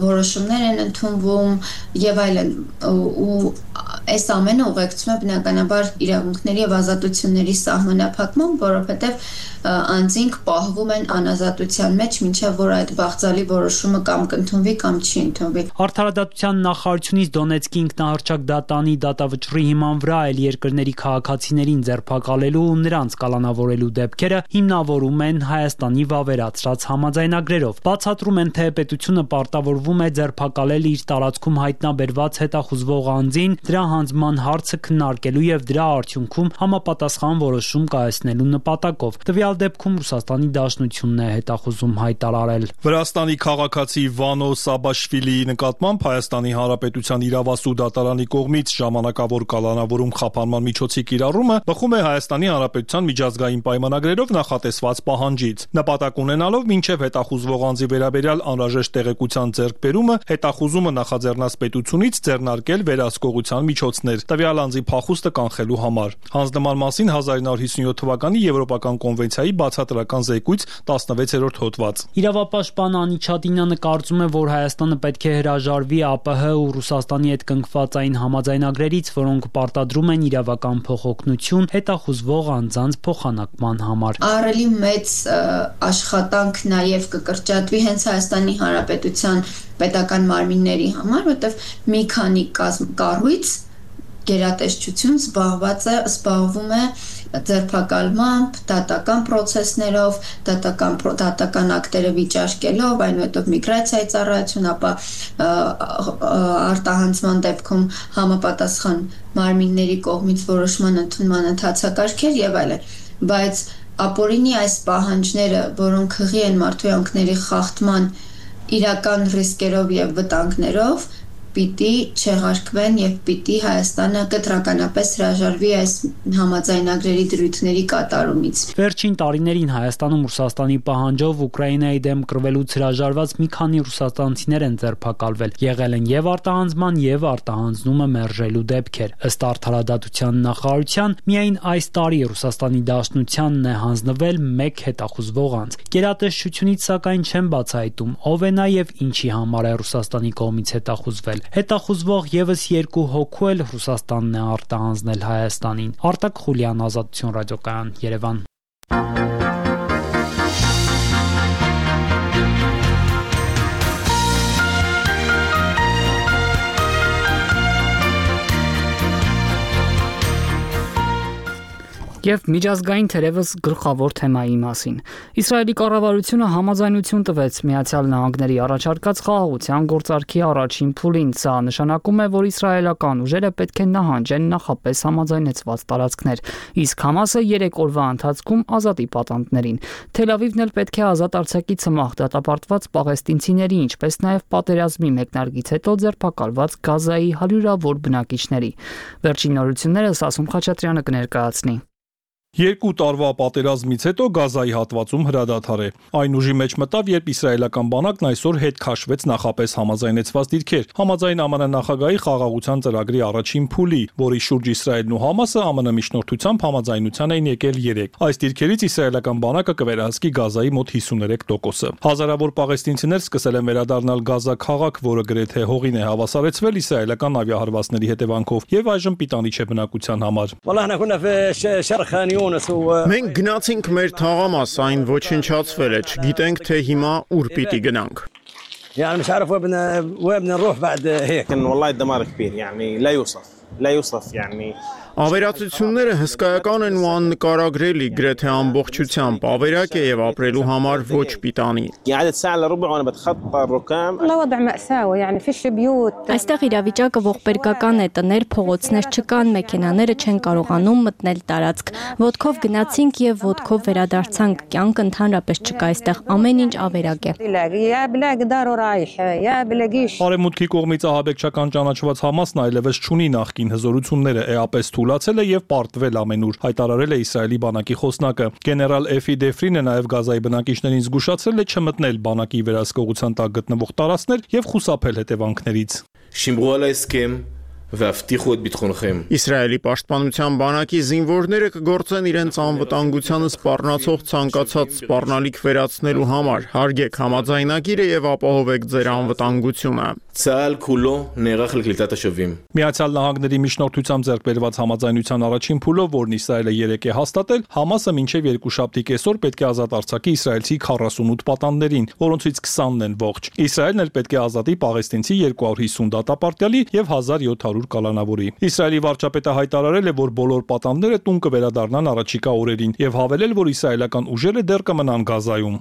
որոշումներ են ընդունվում եւ այլն, ու այս ամենը ուղեկցում է բնականաբար իրավունքների եւ ազատությունների սահմանափակման, որովհետեւ անձինք պահվում են անազատության մեջ, մինչև որ այդ բաղձալի որոշումը կամ կընդունվի կամ չի ընդունվի։ Արդարադատության նախարարությունից Դոնեցկի ինքնահռչակ դատանի դատավճռի հիման վրա այլ երկրների քաղաքացիներին ձերբակալելու ու նրանց կալանավորելու դեպքերը հիմնավորում են Հայաստանի վավերացրած համաձայնագրերով։ Բացատրում են, թե պետությունը պարտավորվում է ձերբակալել իր տարածքում հայտնաբերված հետախուզվող անձին, դրա հանձնման հարցը քննարկելու եւ դրա արդյունքում համապատասխան որոշում կայացնելու նպատակով։ Տվյալ դեպքում Ռուսաստանի Դաշնությունն է հետախուզում հայտարարել։ Վրաստանի քաղաքացի Վանո Սաբաշվիլիի նկատմամբ Հայաստանի Հանրապետության իրավասու դատարանի կողմից ժամանակավոր կալանավորում խափանման միջոցի կիրառումը բխում է Հայաստանի Հանրապետության միջազգային պայմանագրերով նախատեսված պահանջից։ Նպատակ ունենալով մինչև հետախուզվող անձի վերաբերյալ անհրաժեշտ տեղեկության ձեռքբերումը հետախուզումը նախաձեռնած պետությունից ձեռնարկել վերահսկողության միջոցներ տվյալ անձի փախուստը կանխելու համար։ Հանձնման մասին հազար նոր հիսունյոթ թվականի Եվրոպական կոնվենցիայի բացատրական զեկույց տասնվեցերորդ հոդված։ Իրավապաշտպան Անի Չատինյանը կարծում է, որ Հայաստանը պետք է հրաժարվի ԱՊՀ ու Ռուսաստանի հետ կնքված այն համաձայնագրերից, որոնք պարտադրում են իրավական փոխօգնություն հետախուզվող անձանց փոխանակման համար։ Ահռելի մեծ աշխատանք նաև կկրճատվի հենց Հայաստանի Հանրապետության պետական մարմինների համար, որտեղ մի քանի կառույց գերատեսչություն զբաղված է, զբաղվում է ձերբակալմամբ, դատական process-ներով, դատական դատական ակտերը վիճարկելով, այնուհետև միգրացիայի ծառայություն, ապա արտահանձման դեպքում համապատասխան մարմինների կողմից որոշման ընդունման ընթացակարգեր եւ այլն։ Բայց ապօրինի այս պահանջները, որոնք հղի են մարդու խախտման իրական ռիսկերով եւ վտանգներով, պիտի չեղարկվեն եւ պիտի Հայաստանը կտրականապես հրաժարվի այս համաձայնագրերի դրույթների կատարումից։ Վերջին տարիներին Հայաստանում Ռուսաստանի պահանջով Ուկրաինայի դեմ կռվելուց հրաժարված մի քանի ռուսաստանցիներ են ձերբակալվել։ Եղել են եւ արտահանձման եւ արտահանձնումը մերժելու դեպքեր։ Ըստ արդարադատության նախարարության, միայն այս տարի Ռուսաստանի Դաշնությանն է հանձնվել մեկ հետախուզվող անձ։ Գերատեսչությունից սակայն չեն բացահայտում ով է նա եւ ինչի համար է Ռուսաստանի կողմից հետախուզվել։ Հետախուզվող եւս երկու հոգու էլ Ռուսաստանն է արտահանձնել Հայաստանին։ Արտակ Խուլյան, Ազատություն ռադիոկայան, Երևան։ Եվ միջազգային թերևս գլխավոր թեմայի մասին։ Իսրայելի կառավարությունը համաձայնություն տվեց Միացյալ Նահանգների առաջարկած խաղաղության գործարքի առաջին փուլին։ Սա նշանակում է, որ իսրայելական ուժերը պետք է նահանջեն նախապես համաձայնեցված տարածքներ, իսկ Համասը երեք օրվա ընթացքում ազատի պատանդներին։ Թել Ավիվն էլ պետք է ազատ արձակի ցմահ դատապարտված պաղեստինցիների, ինչպես նաև պատերազմի մեկնարկից հետո ձերբակալված Գազայի հարյուրավոր բնակիչների։ Վերջին նորությունները Սասուն Խաչատրյանը կներկայացնի։ Երկու տարվա պատերազմից հետո Գազայի հատվածում հրադադար է։ Այն ուժի մեջ մտավ, երբ իսրայելական բանակն այսօր հետ քաշվեց նախապես համաձայնեցված դիրքեր։ Համաձայն ԱՄՆ նախագահի խաղաղության ծրագրի առաջին փուլի, որի շուրջ Իսրայելն ու Համասը ԱՄՆ միջնորդությամբ համաձայնության էին եկել երեք։ Այս դիրքերից իսրայելական բանակը կվերահսկի Գազայի մոտ հիսուներեք տոկոսը։ Հազարավոր պաղեստինցիներ սկսել են վերադառնալ Գազա քաղաք, որը գրեթե հողին է հավասարեցվել իսրայելական ավիահարվածների հետևանքով, եւ այժմ պիտանի չէ բնակության համար։ Մենք գնացինք մեր թաղամաս, այն ոչնչացվել է, չգիտենք թե հիմա ուր պիտի գնանք։ يعني مش عارف وين وين بدنا نروح بعد هيك. والله الدمار كبير يعني لا يوصف لا يوصف يعني Ավերածությունները հսկայական են ու աննկարագրելի, գրեթե ամբողջությամբ, ավերակ է եւ ապրելու համար ոչ պիտանի։ Այստեղ իրավիճակը ողբերգական է, տներ, փողոցներ չկան, մեքենաները չեն կարողանում մտնել տարածք։ Ոտքով գնացինք եւ ոտքով վերադարձանք, կյանք ընդհանրապես չկա, այստեղ ամեն ինչ ավերակ է։ Արևմուտքի կողմից ահաբեկչական ճանաչված Համասն այլևս չունի նախկին հզորությունները, էապես թուլացել է եւ պարտվել ամենուր, հայտարարել է Իսրայելի բանակի խոսնակը։ Գեներալ Էֆի Դեֆրինը նաեւ Գազայի բնակիչներին զգուշացրել է չմտնել բանակի վերահսկողության տակ գտնվող տարածքներ եւ խուսափել հետևանքներից։ Իսրայելի պաշտպանության բանակի զինվորները կգործեն իրենց անվտանգությանը սպառնացող ցանկացած սպառնալիք վերացնելու համար, հարգեք համաձայնագիրը եւ ապահովեք ձեր անվտանգությունը։ Միացյալ Նահանգների միջնորդությամբ ձեռք բերված համաձայնության առաջին փուլով, որն Իսրայելը երեկ է հաստատել, Համասը մինչև երկուշաբթի կեսօր պետք է ազատ արձակի իսրայելցի քառասունութ պատանդներին, որոնցից քսանն են ողջ։ Իսրայելն էլ պետք է ազատի պաղեստինցի երկու հարյուր հիսուն դատապարտյալի եւ հազար յոթ հարյուր կալանավորի։ Իսրայելի վարչապետը հայտարարել է, որ բոլոր պատանդները տուն կվերադառնան առաջիկա օրերին եւ հավելել, որ իսրայելական ուժերը դեռ կմնան Գազայում։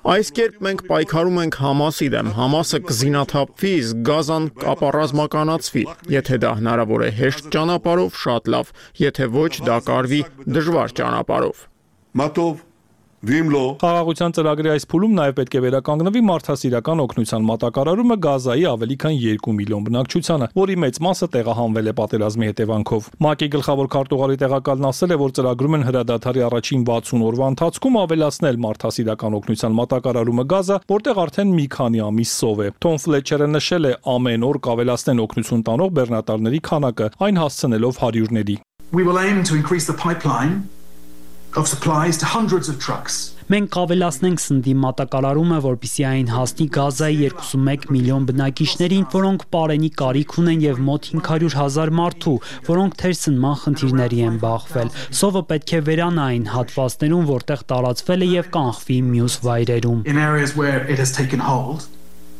Այս կերպ մենք պայքարում ենք Համասի դեմ, Համասը կզինաթափվի, իսկ Գազան կապառազմականացվի։ Եթե դա հնարավոր է հեշտ ճանապարհով, շատ լավ, եթե ոչ, դա կարվի դժվար ճանապարհով։ Խաղաղության ծրագրի այս փուլում նաև պետք է վերականգնվի մարդասիրական օգնության մատակարարումը Գազայի ավելի քան երկու միլիոն բնակչությանը, որի մեծ մասը տեղահանվել է պատերազմի հետևանքով։ ՄԱԿ-ի գլխավոր քարտուղարի տեղակալն ասել է, որ ծրագրում են հրադադարի առաջին վաթսուն օրվա ընթացքում ավելացնել մարդասիրական օգնության մատակարարումը Գազա, որտեղ արդեն մի քանի ամիս սով է։ Թոմ Ֆլեչերը նշել է, ամեն օր կավելացնեն օգնություն տանող բեռնատարների քանակը, այն հասցնելով հարյուրների։ Of supplies to hundreds of trucks. Մենք կավելացնենք սննդի մատակարարումը, որպեսզի այն հասնի Գազայի երկուսունմեկ միլիոն բնակիչներին, որոնք պարենի կարիք ունեն եւ մոտ հինգ հարյուր հազար մարդու, որոնք թերսնման խնդիրների են բախվել։ Սովը պետք է վերանա այն հատվածներում, որտեղ տարածվել է եւ կանխվի մյուս վայրերում։ In areas where it has taken hold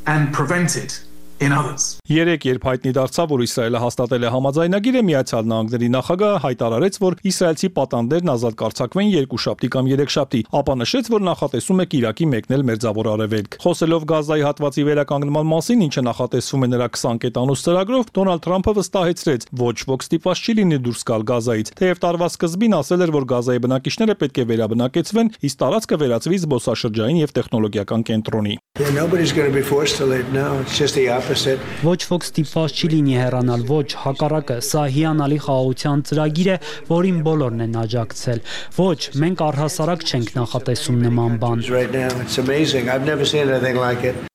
and prevented in others. Երեք երբ հայտնի դարձավ, որ Իսրայելը հաստատել է համաձայնագիրը, Միացյալ Նահանգների նախագահը հայտարարեց, որ իսրայելցի պատանդներն ազատ կարձակվեն երկուշաբթի կամ երեքշաբթի, ապա նշեց, որ նախատեսում է Իրաքի մեկնել Մերձավոր Արևելք։ Խոսելով Գազայի հատվածի վերականգնման մասին, ինչը նախատեսվում է նրա քսան կետանոց ծրագրով, Դոնալդ Թրամփը վստահեցրեց, ոչ ոք ստիպված չի լինի դուրս գալ Գազայից, թեև տարվա սկզբին ասել էր, որ Գազայի բնակիչները պետք է վերաբնակեցվեն, իսկ տարածքը վերածվի զբոսաշրջային եւ տեխնոլոգիական կենտրոնի։ Yeah, nobody's going to be forced to leave now. It's just the opposite. Ոչ ոք ստիպված չի լինի հեռանալ, ոչ, հակառակը, սա հիանալի խաղաղության ծրագիր է, որին բոլորն են աջակցել։ Ոչ, մենք առհասարակ չենք նախատեսում նման բան։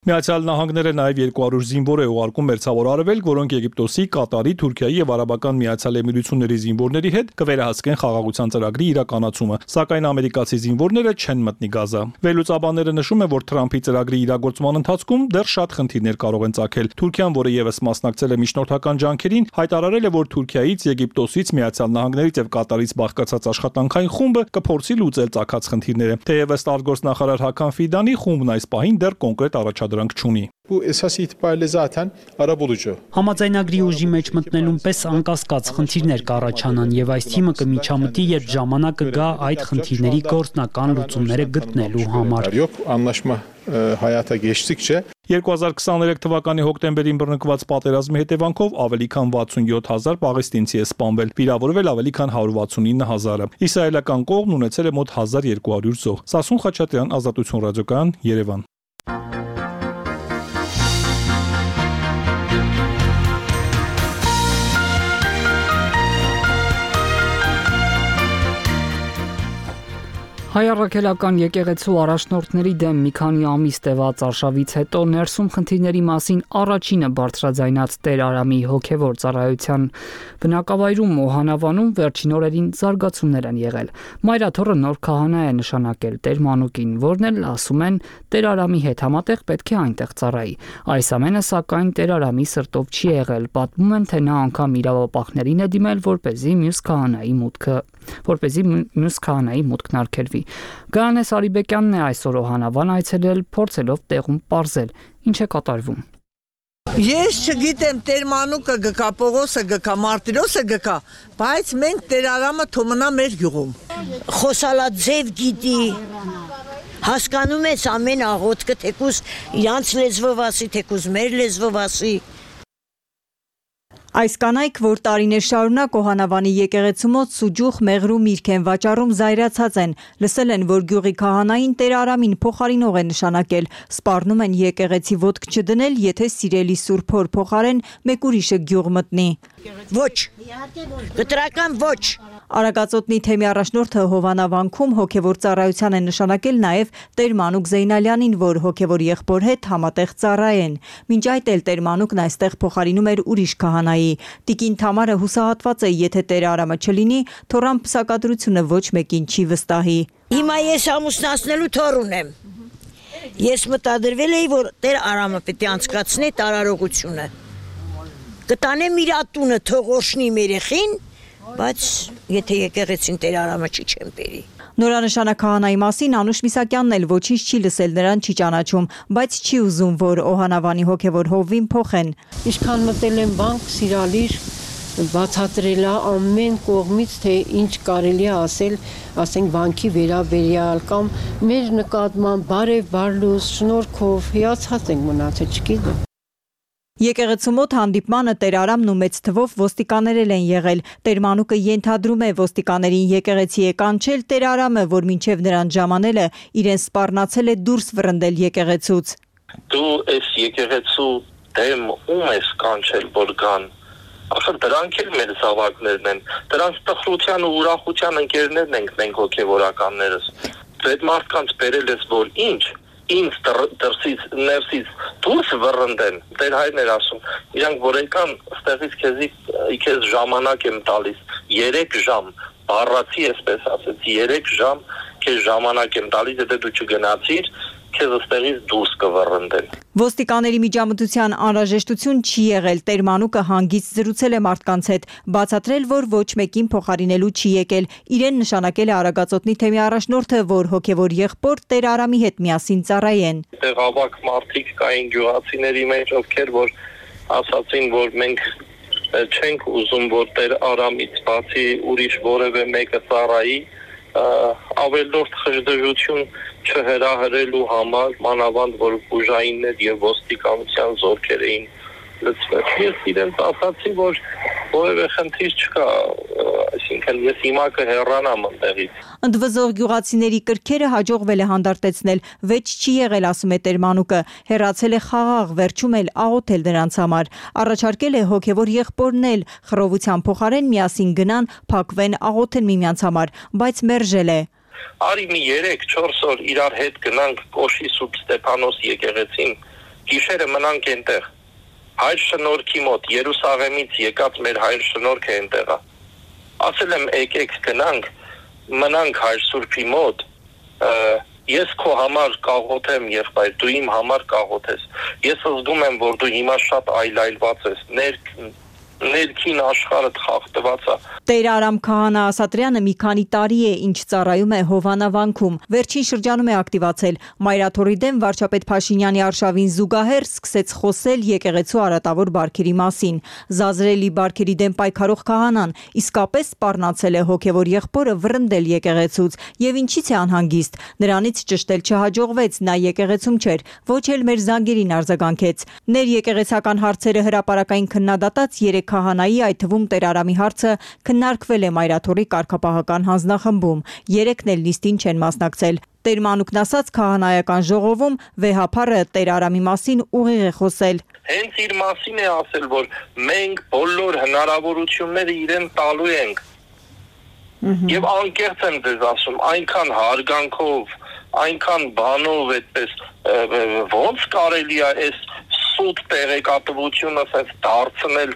Միացյալ Նահանգները նաև երկու հարյուր զինվոր է ուղարկում Մերձավոր Արևելք, որոնք Եգիպտոսի, Կատարի, Թուրքիայի եւ Արաբական Միացյալ Էմիրությունների զինվորների հետ կվերահսկեն խաղաղության ծրագրի իրականացումը, սակայն ամերիկացի զինվորները չեն մտնի Գազա։ Վերլուծաբանները նշում են, որ Թրամփի ծրագրի իրագործման ընթացքում դեռ շատ խնդիրներ կարող են ծագել։ Թուրքիան, որը եւս մասնակցել է միջնորդական ջանքերին, հայտարարել է, որ Թուրքիայից, Եգիպտոսից, Միացյալ Նահանգներից եւ Կատարից բաղկացած աշխատանքային խումբը կփորձի լուծել ծագած խնդիրները։ Թեև ըստ արտգործնախարար Հական Ֆիդանի խումբն այս պահին դեռ կոնկրետ առաջադրանք չունի։ Համաձայնագրի ուժի մեջ մտնելուն պես անկասկած խնդիրներ կառաջանան եւ այս թիմը կմիջամտի, երբ ժամանակը գա այդ խնդիրների գործնական լուծումները գտնելու համար։ երկու հազար քսաներեք թվականի հոկտեմբերին բռնկված պատերազմի հետևանքով ավելի քան վաթսունյոթ հազար պաղեստինցի է սպանվել, վիրավորվել ավելի քան հարյուր վաթսունինը հազարը։ Իսրայելական կողմն ունեցել է մոտ հազար երկու հարյուր զոհ։ Սասուն Խաչատրյան, Ազատություն ռադիոկայան, Երևան։ Հայ առաքելական եկեղեցու առաջնորդների դեմ մի քանի ամիս տևած արշավից հետո ներսում խնդիրների մասին առաջինը բարձրաձայնած Տեր Արամի հոգևոր ծառայության բնակավայրում Օհանավանում վերջին օրերին զարգացումներ են եղել։ Մայրաթոռը նոր քահանա է նշանակել Տեր Մանուկին, որն էլ ասում են Տեր Արամի հետ համատեղ պետք է այնտեղ ծառայի։ Այս ամենը սակայն Տեր Արամի սրտով չի եղել, պատմում են, թե նա անգամ իրավապահներին է դիմել, որպեսզի մյուս քահանայի մուտքը որպեսզի մյուս քահանայի մուտքն արգելվի։ Գայանե Սարիբեկյանն է այսօր Օհանավան այցելել, փորձելով տեղում պարզել, ինչ է կատարվում։ Ես չգիտեմ Տեր Մանուկը գկա, Պողոսը գկա, Մարտիրոսը գկա, բայց մենք Տեր Արամը թոմնա մեր գյուղում։ Խոսալա ձև գիտի, հասկանում ես ամեն աղոտքը, թեկուզ իրանց լեզվով ասի, թեկուզ մեր լեզվով ասի։ Այս կանայք, որ տարիներ շարունակ Օհանավանի եկեղեցու մոտ սուջուխ, մեղրու միրգ են վաճառում, զայրացած են, լսել են, որ գյուղի քահանային Տեր Արամին փոխարինող է նշանակել, սպառնում են եկեղեցի ոտք չդնել, եթե սիրելի Սուրբ Հոր փոխարեն մեկ ուրիշը գյուղ մտնի։ Ոչ, կտրական ոչ։ Արագածոտնի թեմի առաջնորդը Հովանավանքում հոգևոր ծառայության է նշանակել նաև Տեր Մանուկ Զեյնալյանին, որ հոգևոր եղբոր հետ համատեղ ծառայեն։ Մինչ այդ էլ Տեր Մանուկն այստեղ փոխարինում էր ուրիշ քահանայի։ Տիկին Թամարը հուսահատված է, եթե Տեր Արամը չլինի, թոռան պսակադրությունը ոչ մեկին չի վստահի։ Հիմա ես ամուսնացնելու թոռ ունեմ։ Ես մտադրվել էի, որ Տեր Արամը պետք է անցկացնի տարարողությունը։ Կտանեմ իր ատունը, թող օշնի մեր երեխին, բայց եթե եկեղեցին Տեր Արամը չի չեմ բերի։ Նորանշանակ քահանայի մասին Անուշ Միսակյանն էլ ոչինչ չի լսել, նրան չի ճանաչում, բայց չի ուզում, որ Օհանավանի հոգևոր հովվին փոխեն։ Ինչքան մտել եմ բանկ, սիրալիր, բացատրել է ամեն կողմից, թե ինչ կարելի է ասել, ասենք բանկի վերաբերյալ կամ մեր նկատմամբ բարև բարլուս, շնորհքով հիացած ենք մնացել, չգիտեմ։ Եկեղեցու մոտ հանդիպմանը Տեր Արամն ու մեծ թվով ոստիկաներել են եղել։ Տեր Մանուկը ենթադրում է ոստիկաներին եկեղեցի է կանչել Տեր Արամը, որ մինչև նրան ժամանելը իրեն սպառնացել է դուրս վռնդել եկեղեցուց։ Դու այս եկեղեցու դեմ ում ես կանչել, որ գան։ Ախր դրանք էլ մեր զավակներն են։ Դրանք տխրության ու ուրախության ընկերներն ենք մենք հոգևորականներս։ Դու այդ մարդկանց բերել ես, որ ինչ ինձ դրսից ներսից դուրս վռնդեն, Տեր հայրն էր ասում, իրանք որ եկան ստեղից քեզի քեզ ժամանակ եմ տալիս, երեք ժամ, բառացի էսպես ասեց, երեք ժամ քեզ ժամանակ եմ տալիս, եթե դու չգնացիր, քեզ ստեղից դուրս կվռնդեն։ Ոստիկաների միջամտության անհրաժեշտություն չի եղել, Տեր Մանուկը հանգիստ զրուցել է մարդկանց հետ, բացատրել, որ ոչ մեկին փոխարինելու չի եկել, իրեն նշանակել է Արագածոտնի թեմի առաջնորդը, որ հոգևոր եղբոր Տեր Արամի հետ միասին ծառայեն։ Այդտեղ ավակ մարդիկ կային գյուղացիների մեջ, ովքեր որ ասացին, որ մենք չենք ուզում, որ Տեր Արամից բացի ուրիշ որևէ մեկը ծառայի, ավելորդ խժդժություն չհրահրելու համար, մանավանդ որ ուժայիններ եւ ոստիկանության զորքեր էին լցվել։ Ես իրենց ասացի, որ որևէ խնդիր չկա, այսինքն ես հիմա կհեռանամ այնտեղից։ Ընդվզող գյուղացիների կրքերը հաջողվել է հանդարտեցնել, վեճ չի եղել, ասում է Տեր Մանուկը, հեռացել է խաղաղ, վերջում էլ աղոթել դրանց համար, առաջարկել է հոգևոր եղբորն էլ խռովության փոխարեն միասին գնան, փակվեն, աղոթեն միմյանց համար, բայց մերժել է։ Արի մի երեք չորս օր իրար հետ գնանք Կոշի Սուրբ Ստեփանոս եկեղեցին, գիշերը մնանք այնտեղ։ Հայր շնորհքի մոտ Երուսաղեմից եկած մեր հայր շնորհքը այնտեղ է։ Ասել եմ եկեք գնանք, մնանք հայր Սուրբի մոտ, ես քո համար կաղոթեմ, եղբայր, դու իմ համար կաղոթես։ Ես զգում եմ, որ դու հիմա շատ այլայլված ես, ներ ներքին աշխարհդ խախտված է։ Տեր Արամ քահանա Ասատրյանը մի քանի տարի է ինչ ծառայում է Հովանավանքում, վերջին շրջանում է ակտիվացել, Մայրաթորի դեմ վարչապետ Փաշինյանի արշավին զուգահեռ սկսեց խոսել եկեղեցու արատավոր բարքերի մասին, զազրելի բարքերի դեմ պայքարող քահանան իսկապես սպառնացել է հոգևոր եղբորը վռնդել եկեղեցուց, եւ ինչից է անհանգիստ, նրանից ճշտել չհաջողվեց, նա եկեղեցում չէր, ոչ էլ մեր զանգերին արձագանքեց, ներեկեղեցական հարցերը հրապարակային քննադատած երեք քահանայի, այդ թվում Տեր Արամի հարցը քննարկվել է Մայրաթորի կարգապահական հանձնախմբում, երեքն էլ նիստին չեն մասնակցել։ Տեր Մանուկն ասաց քահանայական ժողովում վեհափառը Տեր Արամի մասին ուղիղ է խոսել։ Հենց իր մասին է ասել, որ մենք բոլոր հնարավորությունները իրեն տալու ենք։ Եվ անկեղծ եմ ձեզ ասում, այնքան հարգանքով, այնքան բանով այդպես ոնց կարելի է այս սուտ տեղեկատվությունը ասես դարձնել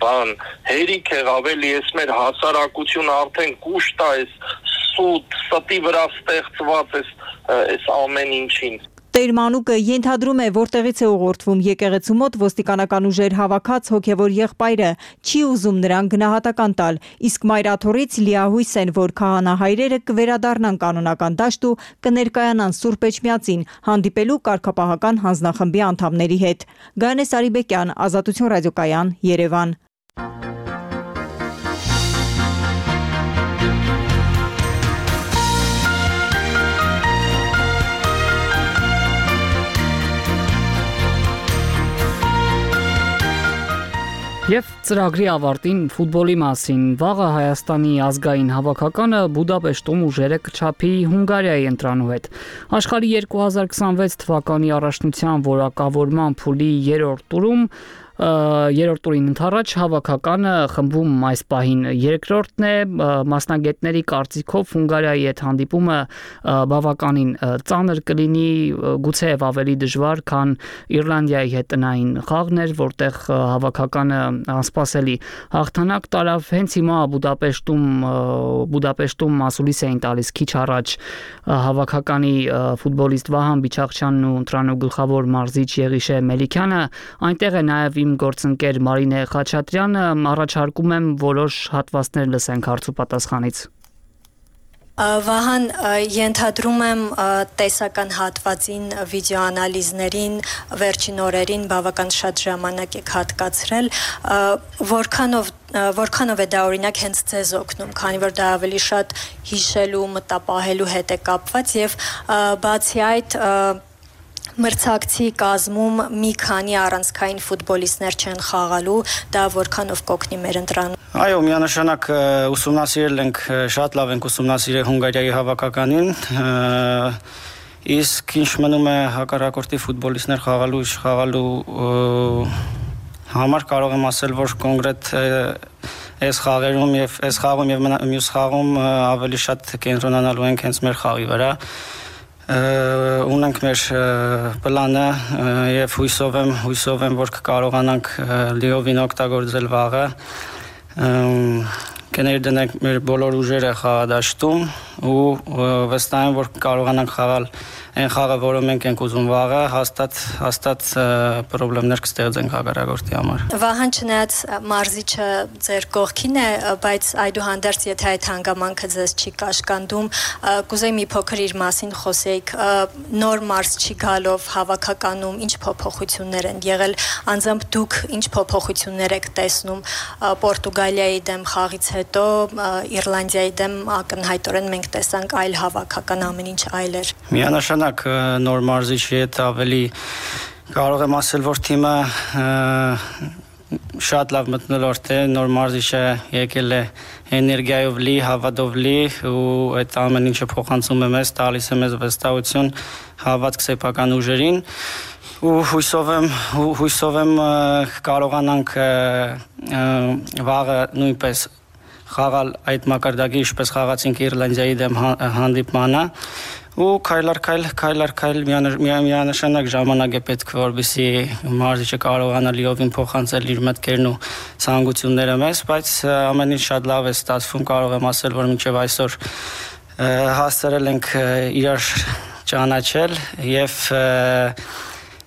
բան, հերիք եղավ էլի ես մեր հասարակությունը արդեն կուշտ է այս սուտ, ստի վրա ստեղծված այս այս ամեն ինչին։ Տեր Մանուկը ենթադրում է, որտեղից է ուղղորդվում եկեղեցու մոտ ոստիկանական ուժեր հավաքած հոգևոր եղբայրը, չի ուզում նրան գնահատական տալ, իսկ մայրաթորից լիահույս են, որ քահանահայրերը կվերադառնան կանոնական դաշտ ու կներկայանան Սուրբ Էջմիածին, հանդիպելու կարգապահական հանձնախմբի անդամների հետ։ Գայանե Սարիբեկյան, Ազատություն ռադիոկայան, Երևան։ Եվ ծրագրի ավարտին ֆուտբոլի մասին վաղը Հայաստանի ազգային հավաքականը Բուդապեշտում ուժերը կչափի Հունգարիայի ընտրանու հետ։ Աշխարհի երկու հազար քսանվեց թվականի առաջնության որակավորման փուլի երրորդ տուրում երրորդ տուրին ընթառաջ հավաքականը խմբում այս պահին երկրորդն է, մասնագետների կարծիքով Հունգարիայի հետ հանդիպումը բավականին ծանր կլինի, գուցեև ավելի դժվար, քան Իռլանդիայի հետ տնային խաղն էր, որտեղ հավաքականը անսպասելի հաղթանակ տարավ։ Հենց հիմա Բուդապեշտում Բուդապեշտում մասուլիս էին տալիս քիչ առաջ հավաքականի ֆուտբոլիստ Վահան Բիչախչյանն ու ընտրանու գլխավոր մարզիչ Եղիշե Մելիքյանը, այնտեղ է նաև իմ գործընկեր Մարինե Խաչատրյանը, առաջարկում եմ որոշ հատվածներ լսենք հարց ու պատասխանից։ Վահան, ենթադրում եմ տեսական հատվածին, վիդեոանալիզներին, վերջին օրերին բավական շատ ժամանակ եք հատկացրել, որքանով որքանով է դա օրինակ հենց ձեզ օգնում, քանի որ դա ավելի շատ հիշելու, մտապահելու հետ է կապված եւ բացի այդ մրցակցի կազմում մի քանի առանցքային ֆուտբոլիստներ չեն խաղալու, դա որքանով կօգնի մեր ընտրանին։ Այո, միանշանակ ուսումնասիրել ենք, շատ լավ ենք ուսումնասիրել Հունգարիայի հավաքականին, իսկ ինչ մնում է հակառակորդի ֆուտբոլիստներ խաղալու, խաղալու համար կարող եմ ասել, որ կոնկրետ այս խաղերում եւ այս խաղում եւ մյուս խաղում ավելի շատ կենտրոնանալու ենք հենց մեր խաղի վրա։ Ունենք մեր պլանը եւ հույսով եմ, հույսով եմ, որ կկարողանանք լիովին օգտագործել վաղը։ Կներդնենք մեր բոլոր ուժերը խաղադաշտում ու վստահ եմ, որ կկարողանանք խաղալ այն խաղը, որը մենք ենք ուզում վաղը, հաստատ հաստատ խնդիրներ կստեղծենք հակառակորդի համար։ Վահան, չնայած մարզիչը ձեր կողքին է, բայց այդուհանդերձ եթե այդ հանգամանքը ձեզ չի կաշկանդում, կուզեի մի փոքր իր մասին խոսեիք, նոր մարզչի գալով հավաքականում ինչ փոփոխություններ են եղել, անձամբ դուք ինչ փոփոխություններ եք տեսնում Պորտուգալիայի դեմ խաղից հետո, Իռլանդիայի դեմ ակնհայտորեն մենք տեսանք այլ հավաքական, ամեն ինչ այլ էր։ Միանշանակ նոր մարզիչի հետ ավելի կարող եմ ասել, որ թիմը շատ լավ մթնոլորտ է, նոր մարզիչը եկել է էներգիայով լի, հավատով լի ու այդ ամեն ինչը փոխանցում է մեզ, տալիս է մեզ վստահություն, հավատք սեփական ուժերին ու հույսով եմ, հույսով եմ կարողանանք վաղը նույնպես խաղալ այդ մակարդակի, ինչպես խաղացինք Իռլանդիայի դեմ հանդիպմանը ու քայլարկայլ քայլարկայլ միանշանակ ժամանակ է պետք, որպեսզի մարզիչը կարողանա լիովին փոխանցել իր մտքերն ու ցանկությունները մեզ, բայց ամեն ինչ շատ լավ է ստացվում, կարող եմ ասել, որ մինչև այսօր հասցրել ենք իրար ճանաչել եւ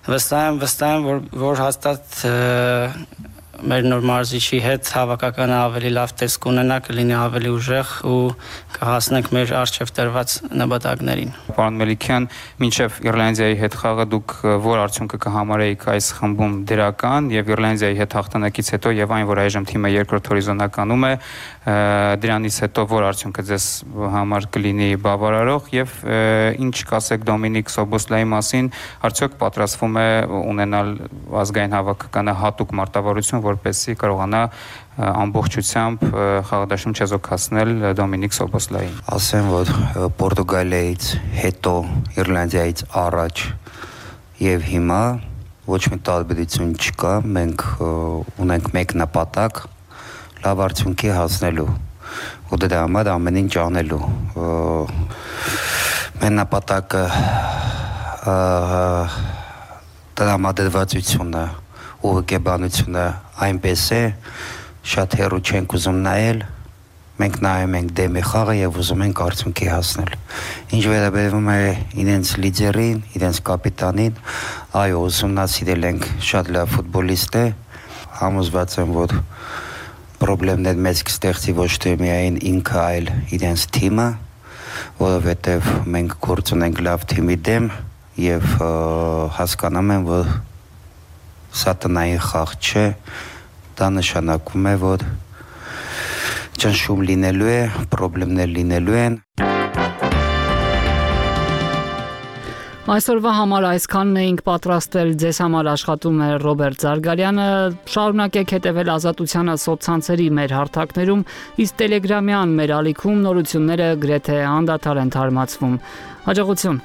վստահ եմ, վստահ եմ, որ որ հաստատ մեր նոր մարզիչի հետ հավաքականը ավելի լավ տեսք ունենա, կլինի ավելի ուժեղ ու կհասնենք մեր առջև տրված նպատակներին։ Պարոն Մելիքյան, մինչև Իռլանդիայի հետ խաղը դուք որ արդյունքը կհամարեիք այս խմբում դրական եւ Իռլանդիայի հետ հաղթանակից հետո եւ այն, որ այժմ թիմը երկրորդ հորիզոնականում է, դրանից հետո որ արդյունքը ձեզ համար կլինի բավարարող եւ ինչ կասեք Դոմինիկ Սոբոսլայի մասին, արդյոք պատրաստվում է ունենալ ազգային հավաքականը հատուկ մարտավարություն, որպեսզի կարողանա ամբողջությամբ խաղադաշտում չեզոքացնել Դոմինիկ Սոբոսլային։ Ասեմ, որ Պորտուգալիայից հետո Իռլանդիայից առաջ եւ հիմա ոչ մի տարբերություն չկա, մենք ունենք մեկ նպատակ լավ արդյունքի հասնելու ու դրա համար ամեն ինչ անելու։ Մեր նպատակը տրամադրվածությունը ու հոգեբանությունը այնպես է, շատ հեռու չենք ուզում նայել, մենք նայում ենք դեմի խաղը եւ ուզում ենք արդյունքի հասնել։ Ինչ վերաբերում է իրենց լիդերին, իրենց կապիտանին, այո, ուսումնասիրել ենք, շատ լավ ֆուտբոլիստ է, համոզված եմ, որ պրոբլեմներ մեծ կստեղծի ոչ թե միայն ինքը, այլ իրենց թիմը, որովհետեւ մենք գործ ունենք լավ թիմի դեմ եւ հասկանում եմ, որ սա տնային խաղ չէ, դա նշանակում է, որ ճնշում լինելու է, պրոբլեմներ լինելու են։ Այսօրվա համար այսքանն էինք պատրաստել, ձեզ համար աշխատում է Ռոբերտ Զարգարյանը, շարունակեք հետևել Ազատությանը սոցցանցերի մեր հարթակներում, իսկ Տելեգրամյան մեր ալիքում նորությունները գրեթե անդադար են թարմացվում։ Հաջողություն։